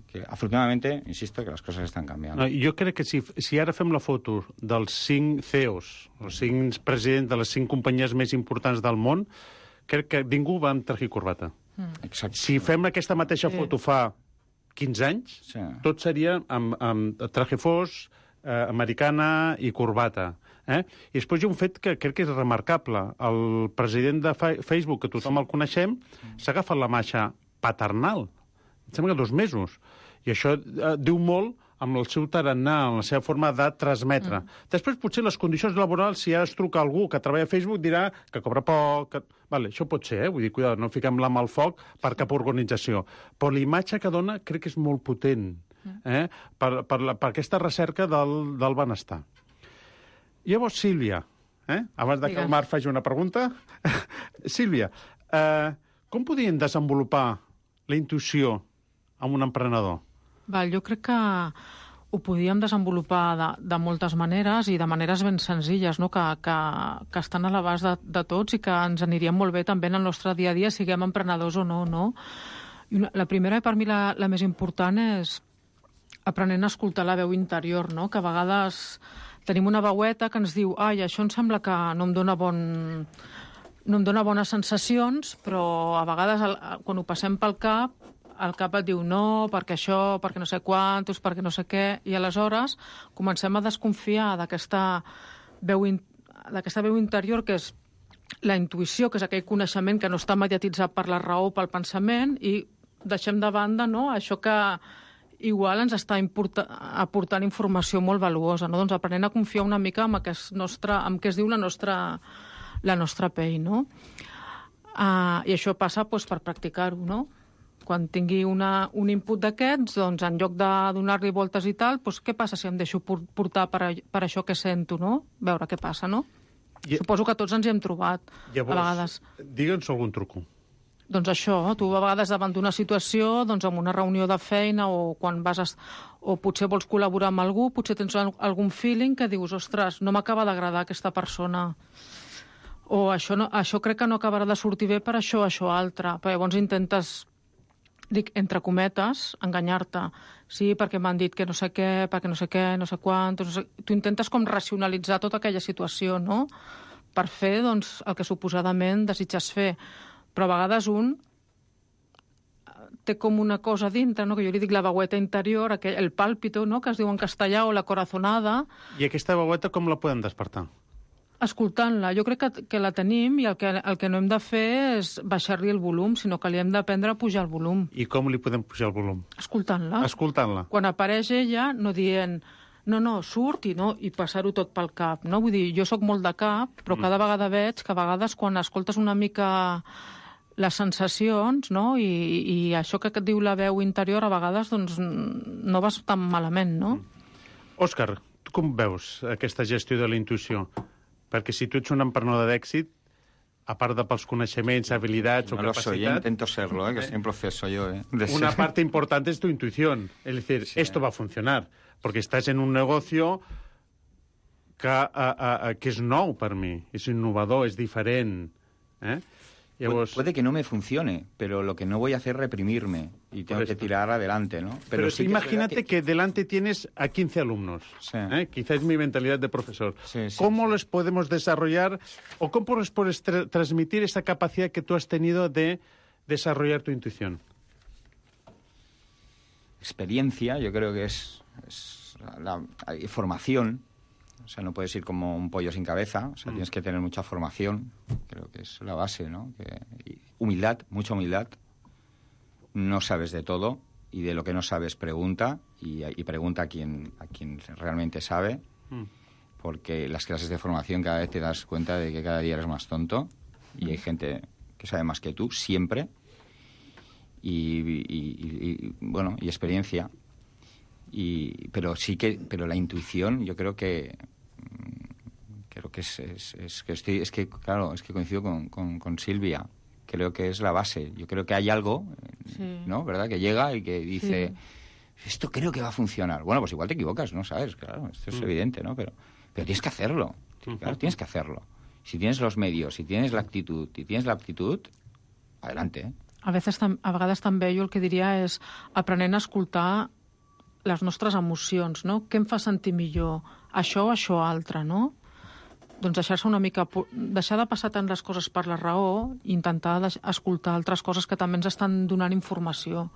Speaker 9: que afortunadamente, insisto, que las cosas están cambiando.
Speaker 6: No, jo crec que si, si ara fem la foto dels cinc C E Os, els cinc presidents de les cinc companyies més importants del món, crec que ningú va amb traje i corbata.
Speaker 9: Mm.
Speaker 6: Si fem aquesta mateixa sí. foto fa quinze anys, sí. tot seria amb, amb traje fos, eh, americana i corbata. Eh? I després hi ha un fet que crec que és remarcable. El president de Facebook, que tothom el coneixem, s'ha agafat la marxa paternal. Em sembla que dos mesos. I això eh, diu molt amb el seu tarannà, amb la seva forma de transmetre. Mm. Després, potser, les condicions laborals, si ara es truca algú que treballa a Facebook, dirà que cobra poc... Que... Vale, això pot ser, eh? Vull dir, cuidado, no fiquem la mà al foc per cap organització. Però l'imatge que dona crec que és molt potent, eh? per, per, la, per aquesta recerca del, del benestar. Llavors, Sílvia, eh? abans de que el Marc faci una pregunta, Sílvia, eh, com podríem desenvolupar la intuïció amb un emprenedor?
Speaker 8: Val, jo crec que ho podíem desenvolupar de, de moltes maneres i de maneres ben senzilles, no? que, que, que estan a l'abast de, de tots i que ens anirien molt bé també en el nostre dia a dia, siguem emprenedors o no. no? I una, la primera, i per mi la, la més important, és aprenent a escoltar la veu interior, no? que a vegades tenim una veueta que ens diu ai, això em sembla que no em dona bon... no em dona bones sensacions, però a vegades el, quan ho passem pel cap el cap et diu no, perquè això, perquè no sé quantos, perquè no sé què, i aleshores comencem a desconfiar d'aquesta veu, in... d'aquesta veu interior, que és la intuïció, que és aquell coneixement que no està mediatitzat per la raó, pel pensament, i deixem de banda, no?, això que igual ens està importa... aportant informació molt valuosa, no? Doncs aprenent a confiar una mica en què, nostre... en què es diu la nostra, la nostra pell, no? Uh, I això passa doncs, per practicar-ho, no? Quan tingui una, un input d'aquests, doncs, en lloc de donar-li voltes i tal, doncs, què passa si em deixo portar per, a, per això que sento, no? Veure què passa, no? I... Suposo que tots ens hi hem trobat,
Speaker 6: Llavors,
Speaker 8: a vegades.
Speaker 6: Digue'ns algun truco.
Speaker 8: Doncs això, tu a vegades davant d'una situació, doncs en una reunió de feina o quan vas a, o potser vols col·laborar amb algú, potser tens algun feeling que dius, ostres, no m'acaba d'agradar aquesta persona. O això, no, això crec que no acabarà de sortir bé per això, això, altre. Però llavors intentes... dic, entre cometes, enganyar-te. Sí, perquè m'han dit que no sé què, perquè no sé què, no sé quant... No sé... Tu intentes com racionalitzar tota aquella situació, no?, per fer, doncs, el que suposadament desitges fer. Però a vegades un té com una cosa dintre, no?, que jo li dic la veueta interior, aquell, el pàlpito, no?, que es diu en castellà, o la corazonada.
Speaker 6: I aquesta veueta com la podem despertar?
Speaker 8: Escoltant-la. Jo crec que, que la tenim i el que, el que no hem de fer és baixar-li el volum, sinó que li hem d'aprendre a pujar el volum.
Speaker 6: I com li podem pujar el volum?
Speaker 8: Escoltant-la.
Speaker 6: Escoltant-la.
Speaker 8: Quan apareix ella, no dient no, no, surt i, no, i passar-ho tot pel cap. No? Vull dir, jo sóc molt de cap, però cada mm. vegada veig que a vegades quan escoltes una mica les sensacions, no? I, i això que et diu la veu interior, a vegades doncs, no vas tan malament, no?
Speaker 6: Òscar, tu com veus aquesta gestió de la intuïció? Perquè si tu ets un emprenedor d'èxit, a part de pels coneixements, habilitats
Speaker 9: no
Speaker 6: o capacitats...
Speaker 9: No lo soy, yo intento serlo, ¿eh? que estoy en proceso yo. ¿eh? De
Speaker 6: una
Speaker 9: ser...
Speaker 6: parte importante es tu intuición. Es decir, sí, esto va a funcionar. Porque estás en un negocio que, a, a, a, que és nou per mi, és innovador, és diferent. Eh? Llavors...
Speaker 9: Puede que no me funcione, pero lo que no voy a hacer es reprimirme y tengo que tirar adelante, ¿no?
Speaker 6: Pero, pero sí imagínate que... que delante tienes a quince alumnos.
Speaker 9: Sí.
Speaker 6: ¿eh? Quizá es mi mentalidad de profesor.
Speaker 9: Sí, sí,
Speaker 6: ¿Cómo
Speaker 9: sí.
Speaker 6: les podemos desarrollar o cómo les puedes tra transmitir esa capacidad que tú has tenido de desarrollar tu intuición?
Speaker 9: Experiencia, yo creo que es, es la, la formación. O sea, no puedes ir como un pollo sin cabeza. O sea, mm. tienes que tener mucha formación. Creo que es la base, ¿no? Que, y humildad, mucha humildad. No sabes de todo y de lo que no sabes pregunta y, y pregunta a quien, a quien realmente sabe. Mm. Porque las clases de formación cada vez te das cuenta de que cada día eres más tonto y mm. hay gente que sabe más que tú, siempre. Y, y, y, y bueno, y experiencia. Y, pero sí que, pero la intuición, yo creo que creo que es, es, es que estoy, es que claro, es que coincido con, con, con Silvia. Creo que es la base. Yo creo que hay algo, sí. ¿no? ¿Verdad? Que llega y que dice, sí. esto creo que va a funcionar. Bueno, pues igual te equivocas, ¿no? ¿Sabes? Claro, esto es mm. evidente, ¿no? Pero, pero tienes que hacerlo. Claro, tienes que hacerlo. Si tienes los medios, si tienes la actitud, si tienes la aptitud, adelante, ¿eh?
Speaker 8: A, veces, a vegades també jo el que diria és aprenent a escoltar les nostres emocions, no? Què em fa sentir millor? Això o això altre, no? Doncs deixar-se una mica... Deixar de passar tant les coses per la raó i intentar escoltar altres coses que també ens estan donant informació,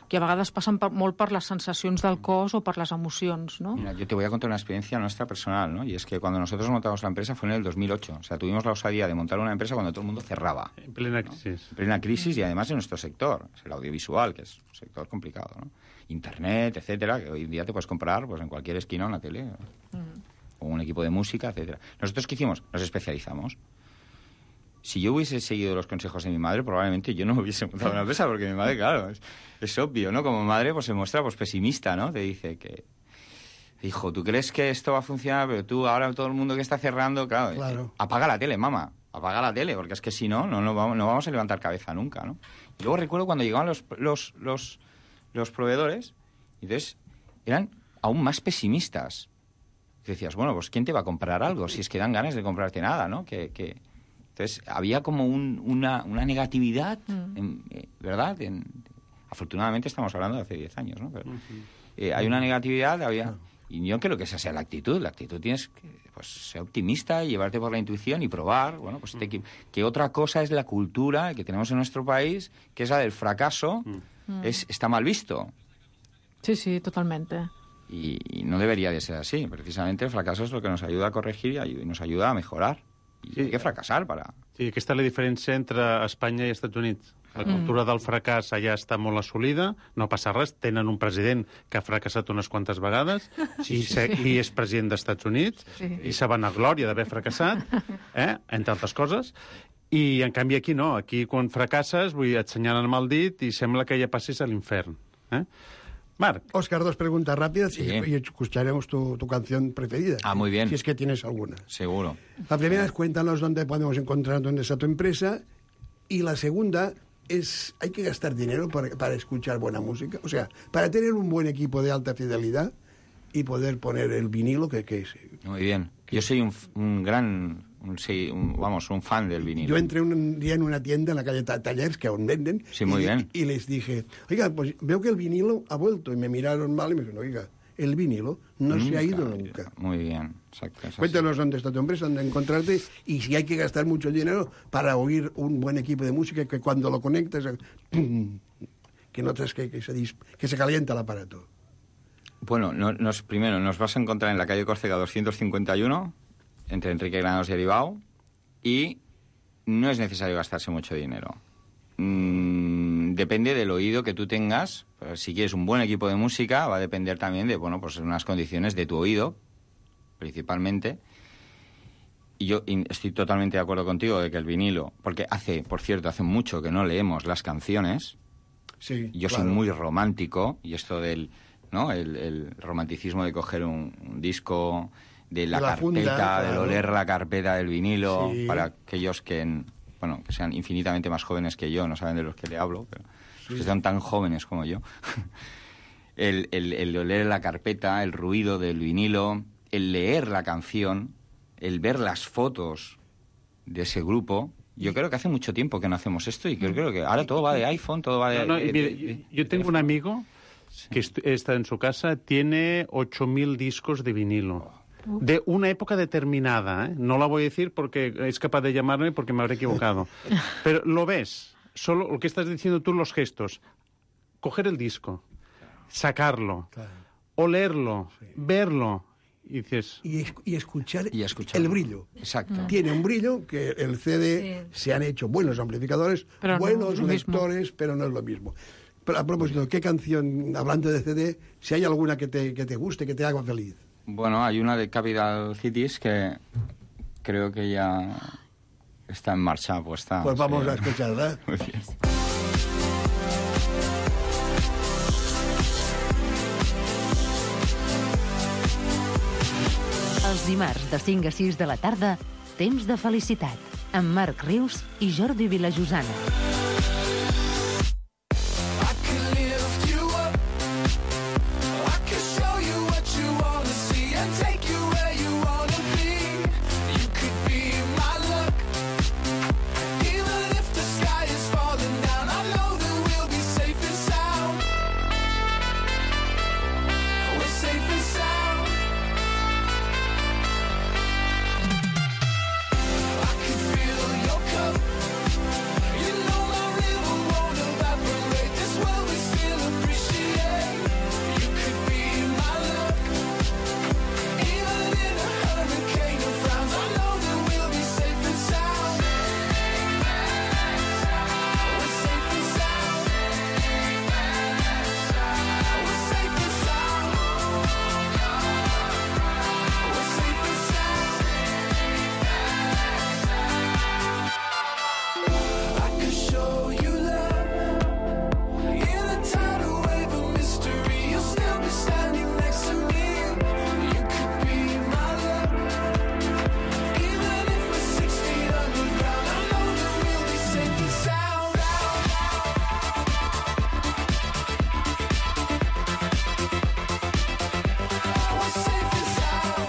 Speaker 8: que a vegades passen per, molt per les sensacions del cos o per les emocions, ¿no?
Speaker 9: Mira, yo te voy a contar una experiencia nuestra personal, ¿no? Y es que cuando nosotros montamos la empresa fue en el dos mil ocho. O sea, tuvimos la osadía de montar una empresa cuando todo el mundo cerraba.
Speaker 6: En plena crisis.
Speaker 9: ¿no? En plena crisis y además en nuestro sector, es el audiovisual, que es un sector complicado, ¿no? Internet, etcétera, que hoy en día te puedes comprar pues en cualquier esquina en la tele. Mm. O un equipo de música, etcétera. ¿Nosotros qué hicimos? Nos especializamos. Si yo hubiese seguido los consejos de mi madre, probablemente yo no hubiese montado una empresa, porque mi madre, claro, es, es obvio, ¿no? Como madre, pues se muestra pues pesimista, ¿no? Te dice que, hijo, ¿tú crees que esto va a funcionar? Pero tú, ahora todo el mundo que está cerrando, claro,
Speaker 4: claro.
Speaker 9: Eh, apaga la tele, mamá, apaga la tele, porque es que si no, no, no, vamos, no vamos a levantar cabeza nunca, ¿no? Y luego recuerdo cuando llegaban los, los, los, los proveedores, y entonces eran aún más pesimistas. Y decías, bueno, pues ¿quién te va a comprar algo? Si es que dan ganas de comprarte nada, ¿no? Que... que Entonces, había como un, una, una negatividad, mm. en, eh, ¿verdad? En, afortunadamente estamos hablando de hace diez años, ¿no? Pero, eh, hay una negatividad, había... Y yo creo que esa sea la actitud. La actitud tienes que pues, ser optimista y llevarte por la intuición y probar. Bueno, pues te, que, que otra cosa es la cultura que tenemos en nuestro país, que es la del fracaso, mm. es, está mal visto.
Speaker 8: Sí, sí, totalmente.
Speaker 9: Y, y no debería de ser así. Precisamente el fracaso es lo que nos ayuda a corregir y nos ayuda a mejorar. I sí, hay que fracassar para...
Speaker 6: Sí, aquesta és la diferència entre Espanya i Estats Units. La cultura mm. del fracàs allà està molt assolida, no passa res, tenen un president que ha fracassat unes quantes vegades sí, i, sí. i és president dels Estats Units sí. i se van a glòria d'haver fracassat, eh? entre altres coses, i en canvi aquí no, aquí quan fracasses vull, et senyalen amb el dit i sembla que ja passis a l'infern. Eh? Marc.
Speaker 4: Óscar, dos preguntas rápidas sí. y, y escucharemos tu, tu canción preferida.
Speaker 9: Ah, muy bien.
Speaker 4: Si es que tienes alguna.
Speaker 9: Seguro.
Speaker 4: La primera es cuéntanos dónde podemos encontrar dónde está tu empresa. Y la segunda es, ¿hay que gastar dinero para, para escuchar buena música? O sea, para tener un buen equipo de alta fidelidad y poder poner el vinilo que, que es...
Speaker 9: Muy bien. Yo soy un, un gran... Un, sí, un, vamos, un fan del vinilo.
Speaker 4: Yo entré un día en una tienda en la calle Tallers, que aún venden,
Speaker 9: sí, muy
Speaker 4: y,
Speaker 9: bien.
Speaker 4: y les dije, oiga, pues veo que el vinilo ha vuelto, y me miraron mal y me dijeron, oiga, el vinilo no nunca, se ha ido nunca.
Speaker 9: Muy bien, exacto.
Speaker 4: Cuéntanos dónde está tu empresa, dónde encontrarte, y si hay que gastar mucho dinero para oír un buen equipo de música, que cuando lo conectas, que notas que, que, se, que se calienta el aparato.
Speaker 9: Bueno, no, nos, primero, nos vas a encontrar en la calle Córcega doscientos cincuenta y uno, entre Enrique Granados y Aribao, y no es necesario gastarse mucho dinero. Mm, depende del oído que tú tengas. Pero si quieres un buen equipo de música, va a depender también de, bueno, pues unas condiciones de tu oído, principalmente. Y yo estoy totalmente de acuerdo contigo de que el vinilo, porque hace, por cierto, hace mucho que no leemos las canciones.
Speaker 4: Sí,
Speaker 9: yo claro. soy muy romántico, y esto del, ¿no? El, el romanticismo de coger un, un disco, de la, la carpeta, funda, claro. de oler la carpeta del vinilo, sí. para aquellos que, bueno, que sean infinitamente más jóvenes que yo, no saben de los que le hablo, pero sí. que sean tan jóvenes como yo. el, el, el oler la carpeta, el ruido del vinilo, el leer la canción, el ver las fotos de ese grupo. Yo creo que hace mucho tiempo que no hacemos esto y yo creo que ahora todo va de iPhone, todo va de...
Speaker 6: No, no,
Speaker 9: de-
Speaker 6: mire,
Speaker 9: de-
Speaker 6: yo tengo un amigo que est- está en su casa, tiene ocho mil discos de vinilo. De una época determinada, ¿eh? No la voy a decir porque es capaz de llamarme porque me habré equivocado. Pero lo ves, solo lo que estás diciendo tú, los gestos. Coger el disco, sacarlo, olerlo, verlo, y dices...
Speaker 4: Y, es- y escuchar
Speaker 9: Y escucharlo.
Speaker 4: el brillo.
Speaker 9: Exacto.
Speaker 4: Tiene un brillo que el C D
Speaker 5: Sí.
Speaker 4: se han hecho buenos amplificadores,
Speaker 8: Pero no
Speaker 4: buenos
Speaker 8: es lo mismo.
Speaker 4: lectores, pero no es lo mismo. Pero a propósito, ¿qué canción, hablando de C D, si hay alguna que te, que te guste, que te haga feliz?
Speaker 9: Bueno, hay una de Capital Cities que creo que ya está en marcha puesta.
Speaker 4: Pues vamos
Speaker 9: sí.
Speaker 4: a escucharla.
Speaker 9: Muy bien.
Speaker 3: Els dimarts de cinc a sis de la tarda, Temps de felicitat, amb Marc Rius i Jordi Vilajosana.
Speaker 7: I can lift you up. I can show you what you wanna see and take you where you wanna be. You could be my luck. Even if the sky is falling down, I know that we'll be safe and sound. We're safe and sound. I can feel your cup. You know my river won't evaporate. This world we still appreciate. You could be my luck. Even in a hurricane of frowns, I know that we'll be safe and sound. We're safe and sound. We're safe and sound. We're safe and sound. I could show you love in a tidal wave of mystery. You'll still be standing next to me. You could be my luck. Even if we're six feet underground, I know that we'll be safe and sound. We're safe and sound.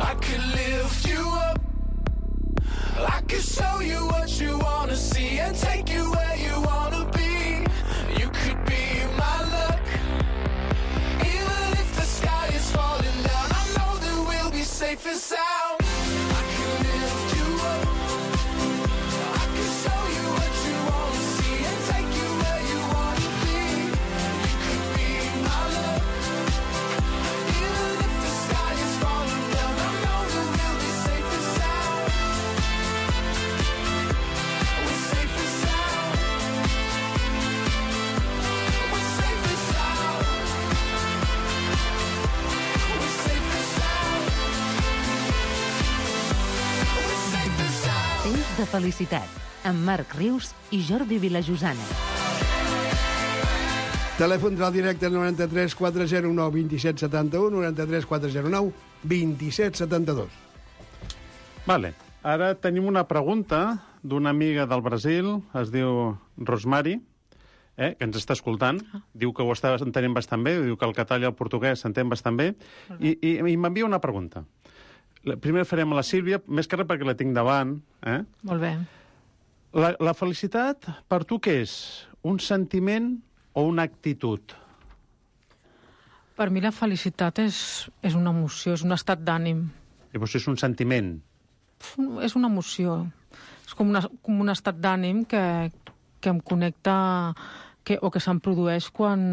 Speaker 7: I could lift you up. I could show you what you wanna see and take you where you wanna be. You could be my luck. Even if the sky is falling down, I know that we'll be safe and sound. I could lift you up. I could show you what you wanna see and take you where you wanna be. You could be my luck. Even if the sky is falling down, I know that we'll be safe and sound. We're safe and sound. We're safe and sound. We're safe and sound. We're safe and sound.
Speaker 3: Temps de felicitat, amb Marc Rius i Jordi Vilajosana.
Speaker 4: Telèfon del directe noranta-tres quatre zero nou dos set set u, noranta-tres quatre zero nou dos set set dos.
Speaker 6: Vale. Ara tenim una pregunta d'una amiga del Brasil, es diu Rosmari, eh, que ens està escoltant. Diu que ho està entenent bastant bé, diu que el català i el portuguès s'entén bastant bé, i, i, i m'envia una pregunta. La, primer farem a la Sílvia, més que res perquè la tinc davant. Eh?
Speaker 8: Molt bé.
Speaker 6: La, la felicitat, per tu què és? Un sentiment o una actitud?
Speaker 8: Per mi la felicitat és, és una emoció, és un estat d'ànim.
Speaker 6: Llavors és un sentiment.
Speaker 8: És una emoció. És com, una, com un estat d'ànim que, que em connecta que, o que se'm produeix quan,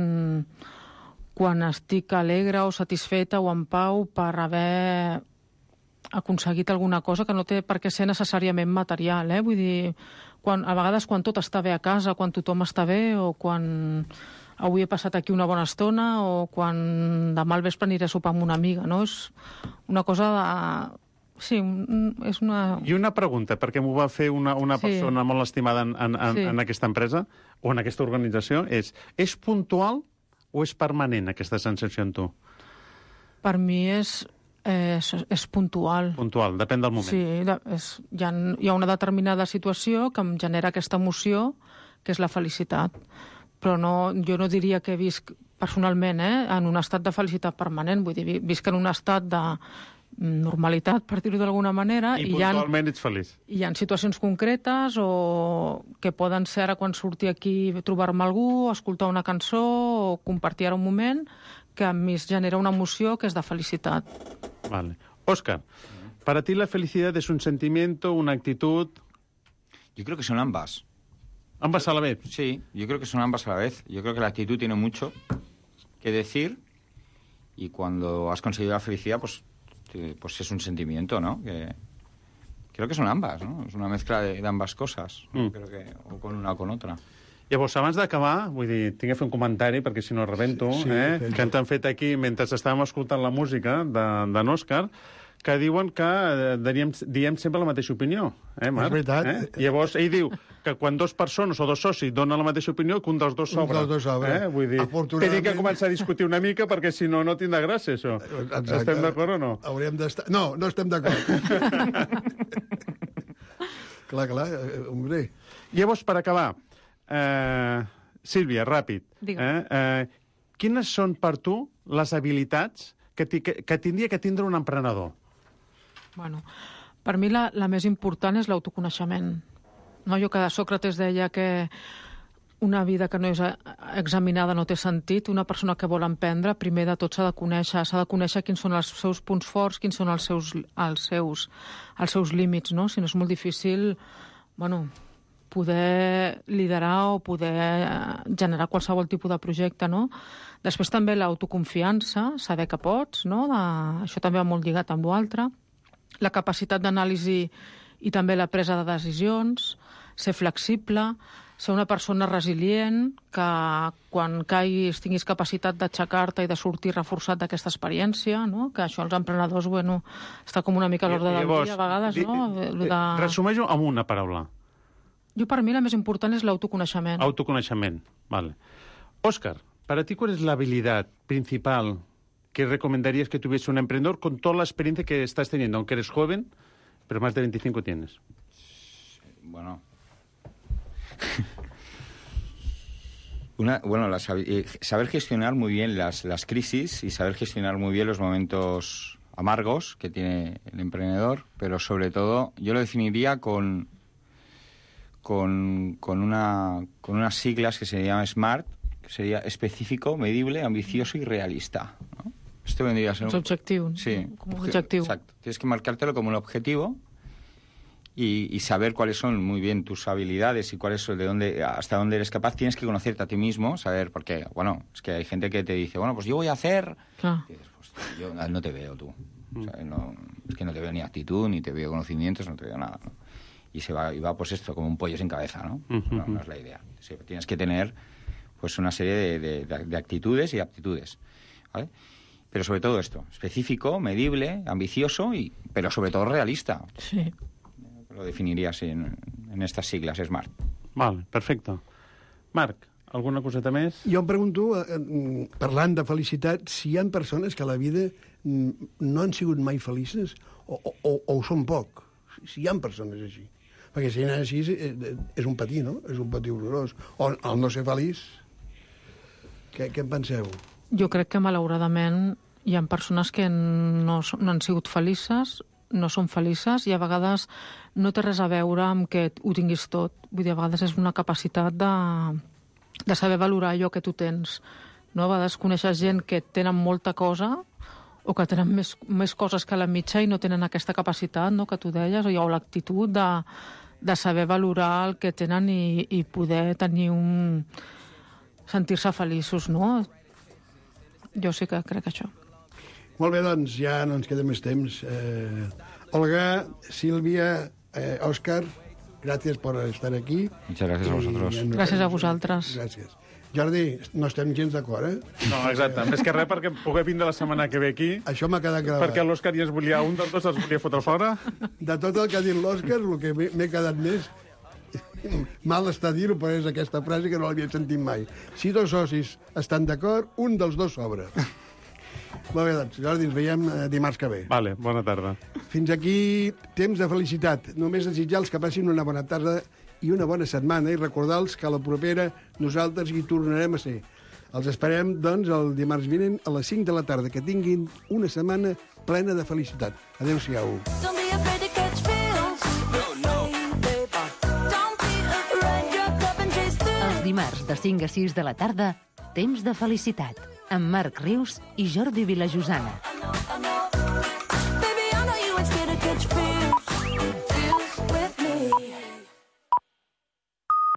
Speaker 8: quan estic alegre o satisfeta o en pau per haver aconseguit alguna cosa que no té per què ser necessàriament material, eh? Vull dir, quan, a vegades quan tot està bé a casa, quan tothom està bé, o quan avui he passat aquí una bona estona, o quan demà al vespre aniré a sopar amb una amiga, no? És una cosa de... Sí, és una...
Speaker 6: I una pregunta, perquè m'ho va fer una, una
Speaker 8: Sí.
Speaker 6: persona molt estimada en, en, en,
Speaker 8: Sí.
Speaker 6: en aquesta empresa o en aquesta organització, és, és puntual o és permanent, aquesta sensació en tu?
Speaker 8: Per mi és, és, és puntual.
Speaker 6: Puntual, depèn del moment.
Speaker 8: Sí, de, és, hi, ha, hi ha una determinada situació que em genera aquesta emoció, que és la felicitat. Però no, jo no diria que visc personalment eh, en un estat de felicitat permanent, vull dir, visc en un estat de normalitat, per dir-ho d'alguna manera.
Speaker 6: I,
Speaker 8: i
Speaker 6: puntualment
Speaker 8: hi ha,
Speaker 6: ets feliç.
Speaker 8: Hi ha situacions concretes o que poden ser ara quan surti aquí trobar-me algú, escoltar una cançó o compartir ara un moment que a mi es genera una emoció que és de felicitat.
Speaker 6: Vale. Óscar, para ti la felicidad es un sentimiento, una actitud...
Speaker 9: Yo creo que son ambas.
Speaker 6: ¿Ambas a la vez?
Speaker 9: Sí, yo creo que son ambas a la vez. Yo creo que la actitud tiene mucho que decir y cuando has conseguido la felicidad, pues... pues es un sentimiento, ¿no? Que creo que son ambas, ¿no? Es una mezcla de, de ambas cosas, mm. creo que o con una o con otra.
Speaker 6: Llavors, abans d'acabar, vull dir, tinc que fer un comentari, perquè si no rebento, sí, sí, eh? Sí. Que ens han fet aquí, mentre estàvem escoltant la música d'en Òscar, que diuen que eh, diem, diem sempre la mateixa opinió, eh, Marc?
Speaker 4: És veritat.
Speaker 6: Eh? Llavors, ell diu que quan dos persones o dos socis donen la mateixa opinió, que un dels dos sobra.
Speaker 4: Un dels dos sobra.
Speaker 6: Eh? Vull dir, tenim que començar a discutir una mica, perquè si no, no tindrà gràcia, això. Exacte. Estem d'acord o no?
Speaker 4: Hauríem d'estar... No, no estem d'acord. Clar, clar, hombre.
Speaker 6: Llavors, per acabar, eh, Sílvia, ràpid, eh, eh, quines són per tu les habilitats que, que, que tindria que tindre un emprenedor?
Speaker 8: Bueno, per mi la, la més important és l'autoconeixement. No, jo que Sòcrates deia que una vida que no és examinada no té sentit. Una persona que vol emprendre, primer de tot s'ha de conèixer, s'ha de conèixer quins són els seus punts forts, quins són els seus, els seus, els seus límits, no? Si no és molt difícil, bueno, poder liderar o poder generar qualsevol tipus de projecte, no? Després també l'autoconfiança, saber que pots, no? De... Això també va molt lligat amb l'altre. La capacitat d'anàlisi i també la presa de decisions, ser flexible, ser una persona resilient, que quan caiguis tinguis capacitat d'aixecar-te i de sortir reforçat d'aquesta experiència, no? Que això els emprenedors, bueno, està com una mica a l'ordre del dia, a vegades, no? De...
Speaker 6: Resumeix-ho amb una paraula.
Speaker 8: Jo, per mi, la més important és l'autoconeixement.
Speaker 6: Autoconeixement, vale. Óscar, para ti, ¿cuál es la habilidad principal que recomendarías que tuviese un emprendedor con toda la experiencia que estás teniendo, aunque eres joven, pero más de veinticinco tienes?
Speaker 9: Bueno... Una, bueno, la, saber gestionar muy bien las, las crisis y saber gestionar muy bien los momentos amargos que tiene el emprendedor, pero sobre todo yo lo definiría con... Con, con, una, con unas siglas que se llama SMART, que sería específico, medible, ambicioso y realista, ¿no? Esto vendría a ser...
Speaker 8: Un objetivo.
Speaker 9: Sí.
Speaker 8: Como un objetivo.
Speaker 9: Exacto. Tienes que marcártelo como un objetivo y, y saber cuáles son muy bien tus habilidades y cuáles son de dónde, hasta dónde eres capaz. Tienes que conocerte a ti mismo, saber, porque, bueno, es que hay gente que te dice, bueno, pues yo voy a hacer...
Speaker 8: Claro.
Speaker 9: Y dices, pues yo no te veo tú. O sea, no, es que no te veo ni actitud, ni te veo conocimientos, no te veo nada, ¿no? Y se va, y va pues esto, como un pollo sin cabeza, ¿no? Uh-huh. No, no es la idea. Sí, tienes que tener pues una serie de, de, de actitudes y aptitudes, ¿vale? Pero sobre todo esto, específico, medible, ambicioso, y pero sobre todo realista.
Speaker 8: Sí.
Speaker 9: Lo definiría así en, en estas siglas, SMART.
Speaker 6: Vale, perfecte. Marc, alguna coseta més?
Speaker 4: Jo em pregunto, eh, parlant de felicitat, si hi ha persones que a la vida no han sigut mai felices o, o, o ho són poc. Si hi ha persones així. Perquè si n'hi ha així és un patir, no? És un patir horrorós. O el no ser feliç. Què, què en penseu?
Speaker 8: Jo crec que, malauradament, hi ha persones que no, no han sigut felices, no són felices, i a vegades no té res a veure amb que ho tinguis tot. Vull dir, a vegades és una capacitat de, de saber valorar allò que tu tens. No? A vegades coneixes gent que tenen molta cosa o que tenen més, més coses que la mitja i no tenen aquesta capacitat, no?, que tu deies, o l'actitud de, de saber valorar el que tenen i, i poder tenir un... sentir-se feliços, no? Jo sí que crec això.
Speaker 4: Molt bé, doncs, ja no ens queda més temps. Eh, Olga, Sílvia, eh, Òscar, gràcies per estar aquí.
Speaker 9: Muchas gracias a vosotros.
Speaker 4: I,
Speaker 8: gràcies a vosaltres.
Speaker 4: Gràcies. Jordi, no estem gens d'acord, eh?
Speaker 6: No, exacte. Més que res perquè poder vindre la setmana que ve aquí.
Speaker 4: Això m'ha quedat gravat.
Speaker 6: Perquè l'Òscar ja es volia, un dels dos es volia fotre fora.
Speaker 4: De tot el que ha dit l'Òscar, el que m'he quedat més Mal està dir-ho, però és aquesta frase que no l'havia sentit mai. Si dos socis estan d'acord, un dels dos sobra. Molt bé, doncs, Jordi, ens veiem dimarts que ve.
Speaker 6: Vale, bona tarda.
Speaker 4: Fins aquí, temps de felicitat. Només desitjar-los que passin una bona tarda i una bona setmana i recordar-los que a la propera nosaltres hi tornarem a ser. Els esperem, doncs, el dimarts vinent a les cinc de la tarda. Que tinguin una setmana plena de felicitat. Adéu-siau.
Speaker 7: Don't be afraid to catch feels. No, no. Don't be afraid, drop up and chase through.
Speaker 3: Els dimarts de cinc a sis de la tarda, temps de felicitat, amb Marc Rius i Jordi Vilajosana.
Speaker 7: I know, I know.